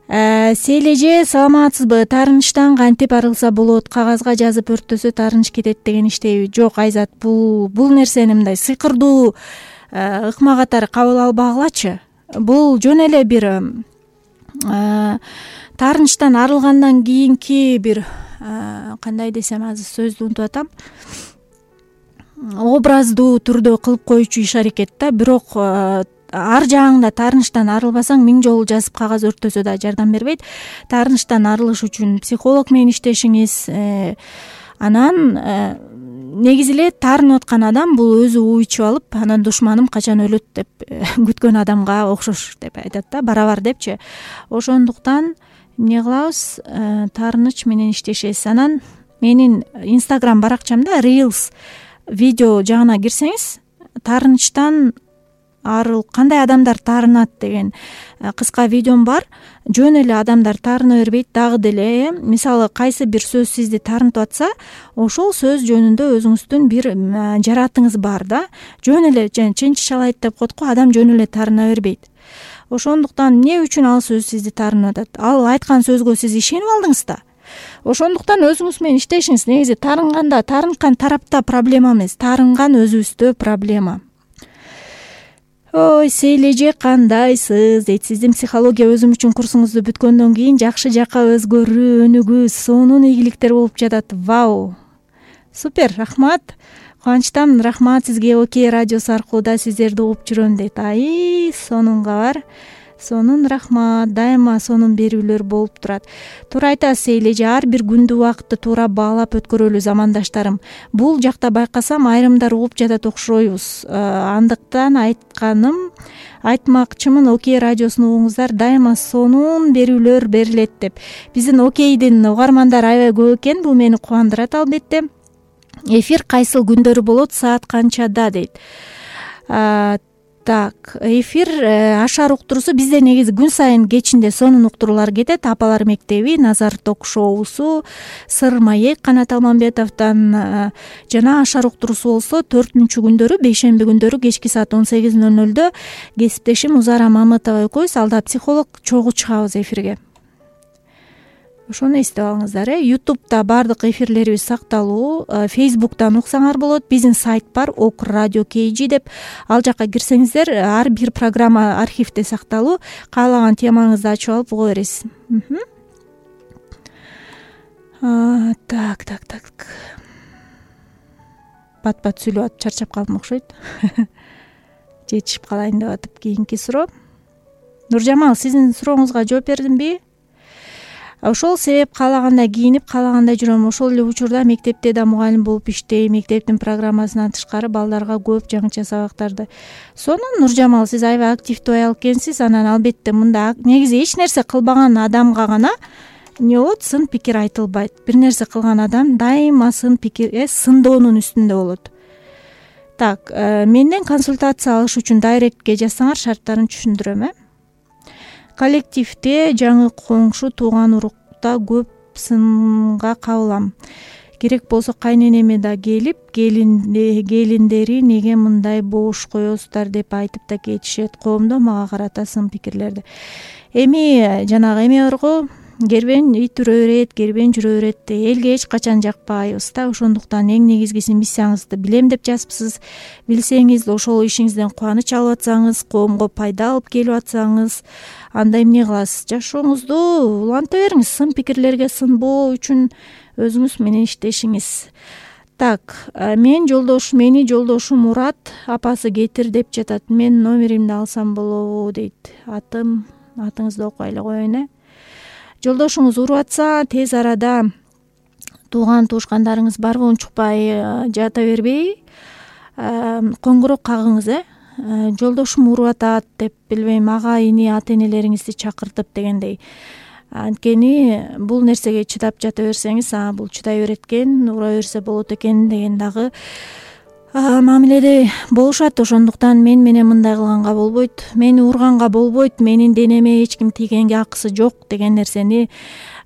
B: Э Сележе, саламатсызбы? Таарынычтан кантип арылса болот? Кагазга жазып өрттөсө таарыныч кетет деген иштейби? Жок, Айзат, бул бул нерсени мындай сыйкырдуу ыкма катары кабыл албагылачы. Бул жөн эле бир таарынычтан арылгандан кийинки бир, кандай десем, азыр сөздү унутуп атам, образдуу түрдө кылып коючу иш аракет да. Бирок ар жагыңда таарынычтан арылбасаң, миң жолу жазып кагаз өрттөсө да жардам бербейт. Таарынычтан арылыш үчүн психолог менен иштешиңиз, анан негизи эле таарынып аткан адам бул өзү уйчуп алып, анан душманым качан өлөт деп күткөн адамга окшош деп айтат да, барабар депчи. Ошондуктан эмне кылабыз? Таарыныч менен иштешебиз. Анан менин Instagram баракчамда Reels видео жагына кирсеңиз, таарынычтан арыл кандай адамдар таарынат деген кыска видеом бар. Жөн эле адамдар таарына бербейт дагы деле. Мисалы, кайсы бир сөз сизди таарынтып атса, ошол сөз жөнүндө өзүңүздүн бир жаратыңыз бар да. Жөн эле ченчишалайт деп коет го, адам жөн эле таарына бербейт. Ошондуктан эмне үчүн ал сөз сизди таарынып атат? Ал айткан сөзгө сиз ишенип алдыңыз да. ошондуктан өзүңүз менен иштешиңиз. Негизи таарынганда таарынткан тарапта проблема эмес, таарынган өзүбүздө проблема. Ой, Сейлеже, кандайсыз дейт. Сиздин психология өзүм үчүн курсуңузду бүткөндөн кийин жакшы жакка өзгөрүү өнүгүү сонун ийгиликтер болуп жатат. Вау, супер, рахмат. Кубанычтамын, рахмат сизге. Окей радиосу аркылуу да сиздерди угуп жүрөм дейт. Ай, сонун кабар. Сонун рахмат. Дайыма сонун берүүлөр болуп турат. Туура айтасыз Сейлеже, ар бир күндү убакытты туура баалап өткөрөлү замандаштарым. Бул жакта байкасам айрымдар угуп жатат окшойбуз. Андыктан айтканым, айтмакчымын, Окей радиосун угуңуздар, дайыма сонун берүүлөр берилет деп. Биздин Окейдин угармандары аябай көп экен, бул мени кубандырат албетте. Эфир кайсыл күндөрү болот, саат канчада дейт. Так, эфир Ашар уктуруусу бизде негизи күн сайын кечинде сонун уктуруулар кетет. Апалар мектеби, Назар ток-шоусу, Сыр маек Канат Алмамбетовдон жана Ашар уктуруусу болсо төртүнчү күндөрү, бейшемби күндөрү кечки саат он сегиз ноль нолдо кесиптешим Узара Мамытова экөөбүз, алда психолог чогуу чыгабыз эфирге. Ошону эстеп алыңыздар. э Ютубта баардык эфирлерибиз сакталуу. Фейсбуктан уксаңар болот. Биздин сайт бар, ок радио кей джи деп. Ал жака кирсеңиздер, ар бир программа архивде сакталуу. Каалаган темаңызды ачып алып уга бересиз. Так, так, так. Бат-бат сүйлөп атып чарчап калдым окшойт. Жетишип калайын деп атып. Кийинки суроо. Нуржамал, сиздин сурооңузга жооп бердимби? Ошол себеп каалагандай кийинип, каалагандай жүрөм. Ошол эле учурда мектепте да мугалим болуп иштейм. Мектептин программасынан тышкары балдарга көп жаңыча сабактарды. Сонун, Нуржамал, сиз аябай активдүү аял экенсиз. Анан албетте мында негизи эч нерсе кылбаган адамга гана эмне болот, сын пикир айтылбайт. Бир нерсе кылган адам дайыма сын пикир, э сындоонун үстүндө болот. Так, менден консультация алыш үчүн дайректке жазсаңар, шарттарын түшүндүрөм, э Коллективде жаңы коңшу, тууган урукта көп сынга кабылам. Керек болсо кайненеме да келип, келиндери неге мындай боош коесуздар деп айтып да кетишет. Коомдо мага карата сын пикирлерди. Эми жанагы эме барго, кербен ит үрө берет, кербен жүрө берет. Элге эч качан жакпайбыз да. Ошондуктан эң негизгиси миссияңызды билем деп жазыпсыз. Билсеңиз, ошол ишиңизден кубаныч алып атсаңыз, коомго пайда алып келип атсаңыз, анда эмне кыласыз? Жашооңузду уланта бериңиз. Сын пикирлерге сынбоо үчүн өзүңүз менен иштешиңиз. Так, мен жолдош, мени жолдошум Мурат апасы кетир деп жатат. Мен номеримди алсам болобу дейт. Атым, атыңызды окуй эле коеюн, э. Жолдошуңуз уруп атса, тез арада тууган туушкандарыңыз барбы, унчукпай жата бербей, коңгуроо кагыңыз, э. Жолдошум уруп атат деп, билбейм, ага ини ата энелериңизди чакыртып дегендей. Анткени бул нерсеге чыдап жата берсеңиз, а бул чыдай берет экен, ура берсе болот экен деген дагы мамиледе болушат. Ошондуктан мен менен мындай кылганга болбойт, мени урганга болбойт, менин денеме эч ким тийгенге акысы жок деген нерсени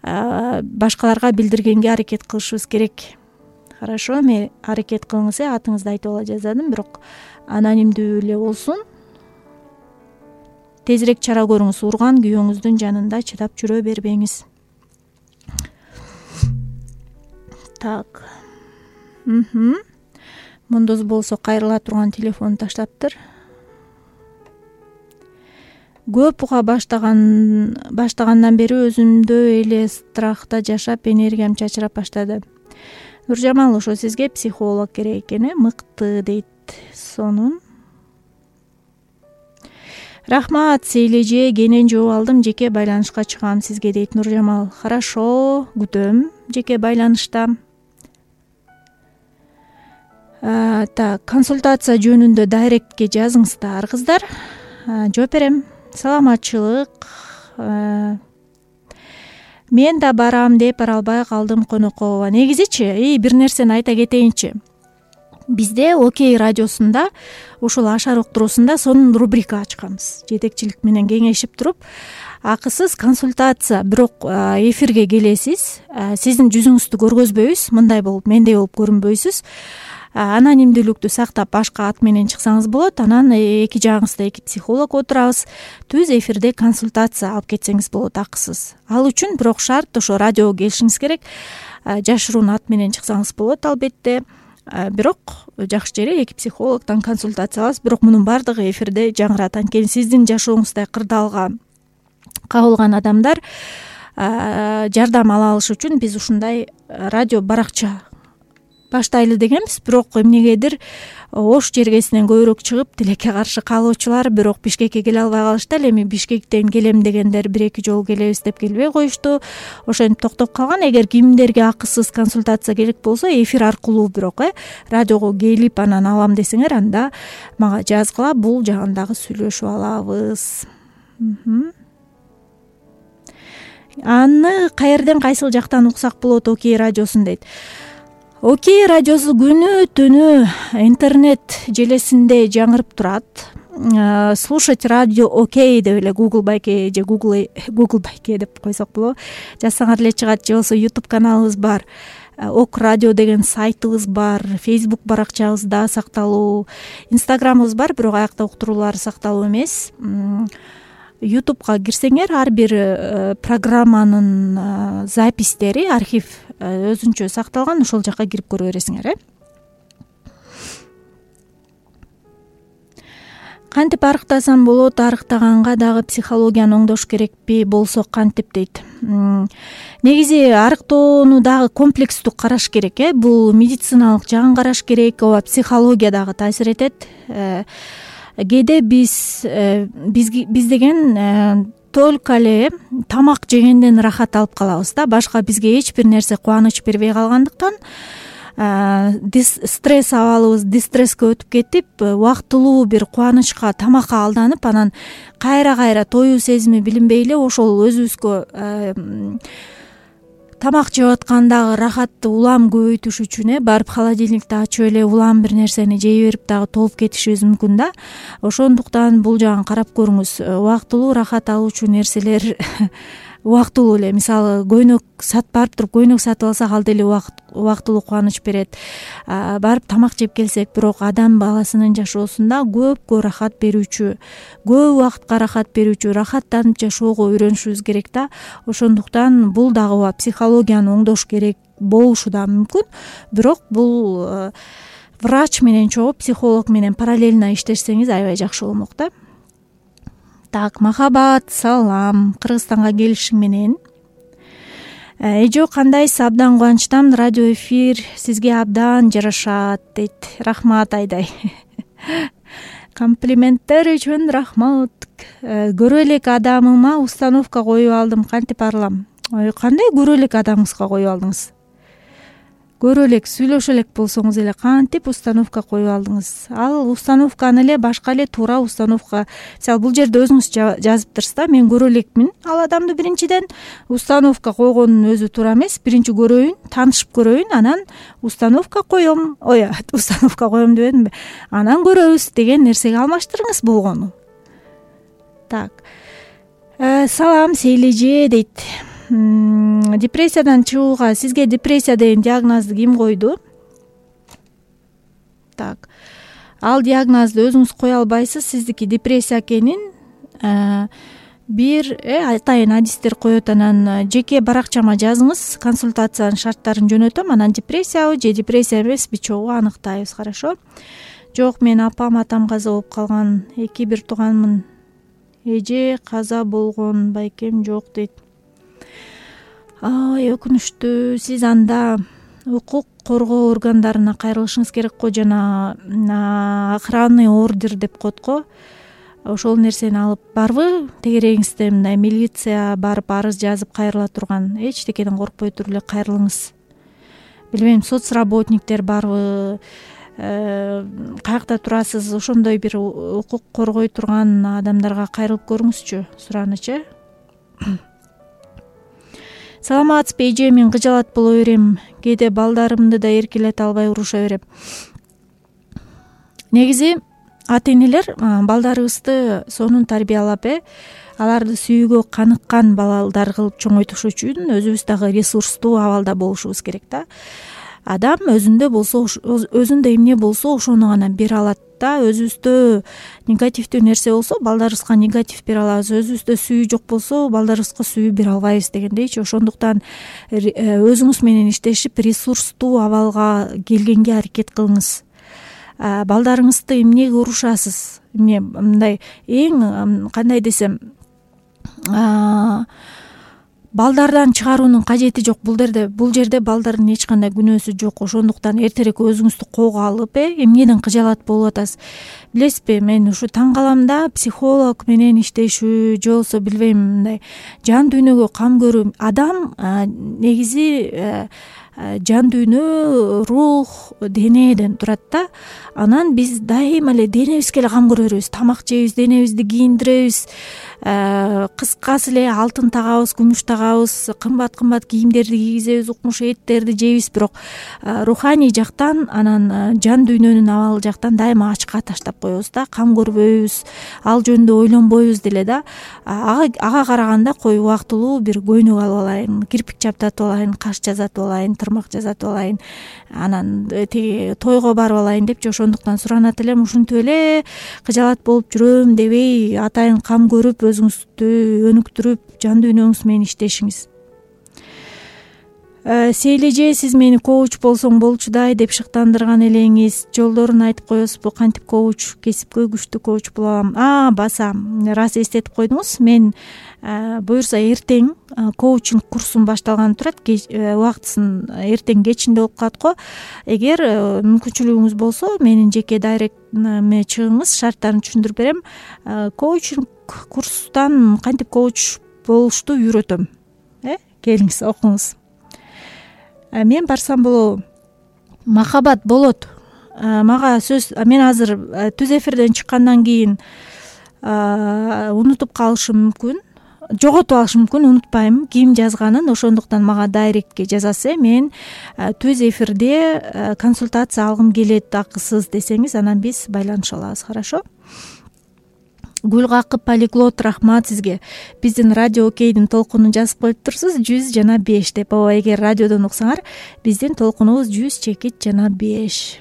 B: башкаларга билдиргенге аракет кылышыбыз керек. Хорошо, эми аракет кылыңыз, э, атыңызды айтып ала жаздадым, бирок анонимдүү эле болсун. Тезирээк чара көрүңүз, урган күйөөңүздүн жанында чыдап жүрө бербеңиз. Так. Мхм. Мундуз болсо кайрыла турган телефон таштаптыр. Көп уга баштаган баштагандан бери өзүмдө эле страхта жашап, энергиям чачырап баштады. Нуржамал, ошо сизге психолог керек экен, э, мыкты дейт. Сонун. Рахмат, Сейлеже, кенен жооп алдым, жеке байланышка чыгам сизге дейт Нуржамал. Хорошо, күтөм жеке байланышта. Так, консультация жөнүндө дайректке жазыңыздар, кыздар. Жооп берем. Саламатчылык. Мен да барам деп бара албай калдым Конокова. Негизичи, и бир нерсени айта кетейинчи. Бизде Окей радиосунда, ушул Ашар уктуруусунда сонун рубрика ачканбыз. Жетекчилик менен кеңешип туруп, акысыз консультация, бирок эфирге келесиз, сиздин жүзүңүздү көргөзбөйбүз, мындай болуп, мендей болуп көрүнбөйсүз. анонимдүүлүктү сактап башка ат менен чыксаңыз болот. Анан эки жагыңызда эки психолог отурабыз. Түз эфирде консультация алып кетсеңиз болот акысыз. Ал үчүн бирок шарт ошо радиого келишиңиз керек. Жашыруун ат менен чыксаңыз болот албетте. Бирок жакшы жери эки психологдон консультация алабыз. Бирок мунун баардыгы эфирде жаңырат. Анткени сиздин жашооңузда кырдаалга кабылган адамдар жардам ала алыш үчүн биз ушундай радио баракча баштайлы дегенбиз. Бирок эмнегедир Ош жергесинен көбүрөөк чыгып тилекке каршы калуучулар бирок Бишкекке келе албай калышты. Ал эми Бишкектен келем дегендер бир эки жолу келебиз деп келбей коюшту. Ошентип токтоп калган. Эгер кимдерге акысыз консультация керек болсо эфир аркылуу бирок э радиого келип анан алам десеңер, анда мага жазгыла, бул жагын дагы сүйлөшүп алабыз. Аны каерден кайсыл жактан уксак болот Окей радиосун дейт. Окей радиосу күнү түнү интернет желесинде жаңырып турат. Слушать радио Окей деп эле Google байке же Google Google байке деп койсок болобу. Жазсаңар эле чыгат. Же болбосо YouTube каналыбыз бар. Ок радио деген сайтыбыз бар. Facebook баракчабызда сакталуу. Инстаграмыбыз бар, бирок аякта уктуруулар сакталуу эмес. ютубка кирсеңер ар бир программанын запистери, архив өзүнчө сакталган, ошол жака кирип көрө бересиңер э. Кантип арыктасам болот, арыктаганга дагы психологияны оңдош керекпи болсо кантип дейт. Негизи арыктоону дагы комплекстүү караш керек э. Бул медициналык жагын караш керек, ооба психология дагы таасир этет. Кээде биз биз биз деген только эле тамак жегенден рахат алып калабыз да. Башка бизге эч бир нерсе кубаныч бербей калгандыктан стресс абалыбыз дистреске өтүп кетип, убактылуу бир кубанычка, тамакка алданып, анан кайра-кайра тоюу сезими билинбей эле ошол өзүбүзгө тамак жеп аткандагы рахатты улам көбөйтүш үчүн э барып холодильникти ачып эле улам бир нерсени жей берип дагы толуп кетишибиз мүмкүн да. Ошондуктан бул жагын карап көрүңүз. Убактылуу рахат алуучу нерселер убактылуу эле, мисалы көйнөк сатып барып туруп көйнөк сатып алсак ал деле убактылуу кубаныч берет. Барып тамак жеп келсек, бирок адам баласынын жашоосунда көпкө рахат берүүчү, көп убакытка рахат берүүчү, рахаттанып жашоого үйрөнүшүбүз керек да. Ошондуктан бул дагы психологияны оңдош керек болушу да мүмкүн. Бирок бул врач менен чогуу, психолог менен параллельно иштешсеңиз аябай жакшы болмок да. Так, махабат, салам, Кыргызстанга келишиң менен. Эжо, кандайсыз? Абдан кубанычтамын. Радио эфир сизге абдан жарашат дейт. Рахмат Айдай. Комплименттер үчүн рахмат. Көрө элек адамыма установка коюп алдым, кантип арылам? Ой, кандай көрө элек адамыңызга коюп алдыңыз? Көрө элек, сүйлөшө элек болсоңуз эле кантип установка коюп алдыңыз? Ал установканы эле башка эле туура установка. Мисалы бул жерде өзүңүз жазыптырсыз да, мен көрө элекмин ал адамды. Биринчиден установка койгонун өзү туура эмес. Биринчи көрөйүн, таанышып көрөйүн, анан установка коем. Ой, установка коем дебедимби? Анан көрөбүз деген нерсеге алмаштырыңыз болгону. Так. Салам Сейлеже дейт. Депрессиядан чыгууга сизге депрессия деген диагнозду ким койду? Так. Ал диагнозду өзүңүз кое албайсыз, сиздики депрессия экенин бир атайын адистер коет. Анан жеке баракчама жазыңыз, консультациянын шарттарын жөнөтөм, анан депрессиябы же депрессия эмеспи чогуу аныктайбыз, хорошо? Жок, мен апам атам каза болуп калган, эки бир тууганмын. Эже каза болгон, байкем жок дейт. Ай, өкүнүштүү. Сиз анда укук коргоо органдарына кайрылышыңыз керек го, жана охранный ордер деп коет го. Ошол нерсени алып барбы? Тегерегиңизде мындай милиция барып арыз жазып кайрыла турган. Эчтекеден коркпой туруп эле кайрылыңыз. Билбейм, соцработниктер барбы? Каякта турасыз? Ошондой бир укук коргой турган адамдарга кайрылып көрүңүзчү, суранычы. Саламатсызбы эже, мен кыжалат боло берем. Кээде балдарымды да эркелете албай уруша берем. Негизи ата-энелер балдарыбызды сонун тарбиялап, э аларды сүйүүгө каныккан балдар кылып чоңойтуш үчүн өзүбүз дагы ресурстуу абалда болушубуз керек да. адам өзүндө болсо өзүндө эмне болсо ошону гана бере алат да. Өзүбүздө негативдүү нерсе болсо балдарыбызга негатив бере алабыз, өзүбүздө сүйүү жок болсо балдарыбызга сүйүү бере албайбыз дегендейчи. Ошондуктан өзүңүз менен иштешип ресурстуу абалга келгенге аракет кылыңыз. Балдарыңызды эмнеге урушасыз? Эмне мындай эң кандай десем, балдардан чыгаруунун кажети жок. Бул жерде бул жерде балдардын эч кандай күнөөсү жок. Ошондуктан эртерээк өзүңүздү колго алып, э эмнеден кыжаалат болуп атасыз? Билесизби, мен ушу таң калам да, психолог менен иштешүү же болбосо билбейм, мындай жан дүйнөгө кам көрүү. Адам негизи жан дүйнө, рух, денеден турат да. Анан биз дайыма эле денебизге эле кам көрөрбүз. Тамак жейбиз, денебизди кийиндиребиз, кыскасы эле алтын тагабыз, күмүш тагабыз, кымбат кымбат кийимдерди кийгизебиз, укмуш эттерди жейбиз. Бирок руханий жактан, анан жан дүйнөнүн абалы жактан дайыма ачка таштап коебуз да. Кам көрбөйбүз, ал жөнүндө ойлонбойбуз деле да. Ага караганда кой убактылуу бир көйнөк алып алайын, кирпик чаптатып алайын, каш жазатып алайын, тырмак жасатып алайын, анан тиги тойго барып алайын депчи. Ошондуктан суранат элем, ушинтип эле кыжаалат болуп жүрөм дебей, атайын кам көрүп, өзүңүздү өнүктүрүп, жан дүйнөңүз менен иштешиңиз. Сейлеже, сиз мени коуч болсоң болчудай деп шыктандырган элеңиз. Жолдорун айтып коесузбу? Кантип коуч, кесипкөй күчтүү коуч боло алам? А, баса, рас эстетип койдуңуз. Мен буюрса эртең коучинг курсум башталганы турат. Убактысын эртең кечинде болуп калат го. Эгер мүмкүнчүлүгүңүз болсо, менин жеке дайректиме чыгыңыз, шарттарын түшүндүрүп берем. Коучинг курстан кантип коуч болушту үйрөтөм. Э, келиңиз, окуңуз. Мен барсам болобу? Махабат болот. Мага сөз, мен азыр түз эфирден чыккандан кийин унутуп калышым мүмкүн, жоготуп алышым мүмкүн, унутпайм ким жазганын. Ошондуктан мага дайректке жазасыз. Мен түз эфирде консультация алгым келет, акысыз десеңиз, анан биз байланыша алабыз. Хорошо? Гүлгакып полиглот, рахмат сизге. Биздин радио окейдин толкунун жазып коюп турсуз, жүз жана беш деп. Ооба, эгер радиодон уксаңар, биздин толкунубуз жүз чекит жана беш.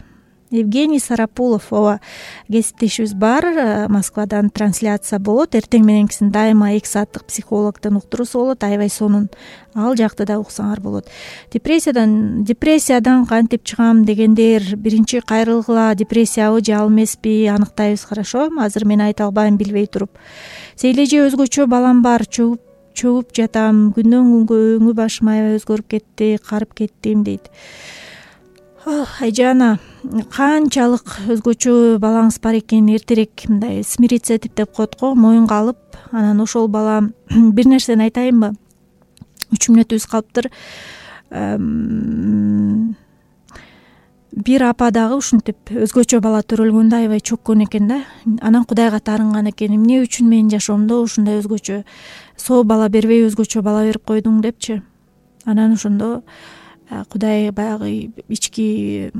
B: Евгений Сарапулов, ооба, кесиптешибиз бар. Москвадан трансляция болот. Эртең мененкисин дайыма эки сааттык психологдун уктуруусу болот. Аябай сонун. Ал жакты да уксаңар болот. Депрессиядан депрессиядан кантип чыгам дегендер, биринчи кайрылгыла, депрессиябы же ал эмеспи, аныктайбыз. Хорошо? Азыр мен айта албайм билбей туруп. Сейлеже, өзгөчө балам бар, чөгүп чөгүп жатам. Күндөн күнгө өңү башым аябай өзгөрүп кетти, карып кеттим дейт. Айжана, канчалык өзгөчө балаңыз бар экен, эртерээк мындай смириться деп коет го, моюнга алып, анан ошол бала бир нерсени айтайынбы? үч мүнөтүбүз калыптыр. Бир апа дагы ушинтип өзгөчө бала төрөлгөндө аябай чөккөн экен да. Анан Кудайга таарынган экен. Эмне үчүн менин жашоомдо ушундай өзгөчө соо бала бербей өзгөчө бала берип койдуң депчи. Анан ошондо Кудай баягы ички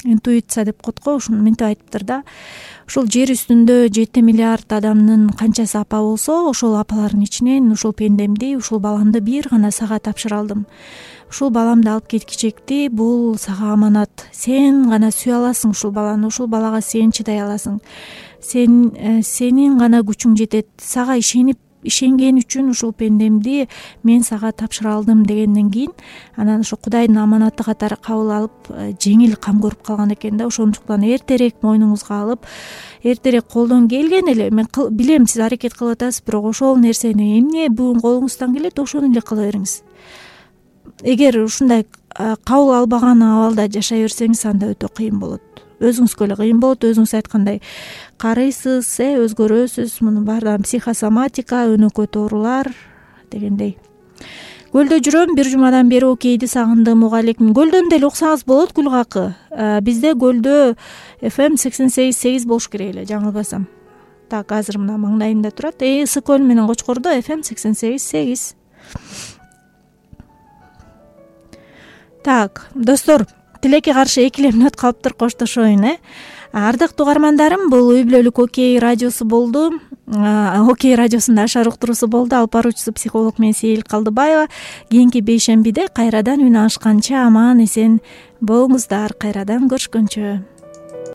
B: интуиция деп коет го, ушуну мынтип айтыптыр да. Ушул жер үстүндө жети миллиард адамдын канчасы апа болсо, ошол апалардын ичинен ушул пендемди, ушул баламды бир гана сага тапшыра алдым. Ушул баламды алып кеткичекти, бул сага аманат. Сен гана сүйө аласың ушул баланы, ушул балага сен чыдай аласың. Сен сенин гана күчүң жетет. Сага ишенип ишенген үчүн ушул пендемди мен сага тапшыра алдым дегенден кийин, анан ошо Кудайдын аманаты катары кабыл алып, жеңил кам көрүп калган экен да. Ошондуктан эртерээк мойнуңузга алып, эртерээк колдон келген эле, мен билем сиз аракет кылып атасыз, бирок ошол нерсени эмне бүгүн колуңуздан келет, ошону эле кыла бериңиз. Эгер ушундай кабыл албаган абалда жашай берсеңиз, анда өтө кыйын болот. Өзүңүзгө эле кыйын болот. Өзүңүз айткандай карыйсыз, э өзгөрөсүз. Мунун баардыгы психосоматика, өнөкөт оорулар дегендей. Көлдө жүрөм, бир жумадан бери окейди сагындым. Угалейкум. Көлдөн деле уксаңыз болот, Гүлгакы. Бизде көлдө эф эм сексен сегиз сегиз болуш керек эле, жаңылбасам. Так, азыр мына маңдайымда турат. Э Ысык көл менен Кочкордо эф эм сексен сегиз сегиз. Так, достор, тилекке каршы эки эле мүнөт калыптыр, коштошоюн, э. Ардактуу угармандарым, бул үй бүлөлүк окей радиосу болду. Окей радиосунда Ашар уктуруусу болду. Алып баруучусу психолог мен Сейил Калдыбаева. Кийинки бейшембиде кайрадан үн алышканча аман эсен болуңуздар. Кайрадан көрүшкөнчө.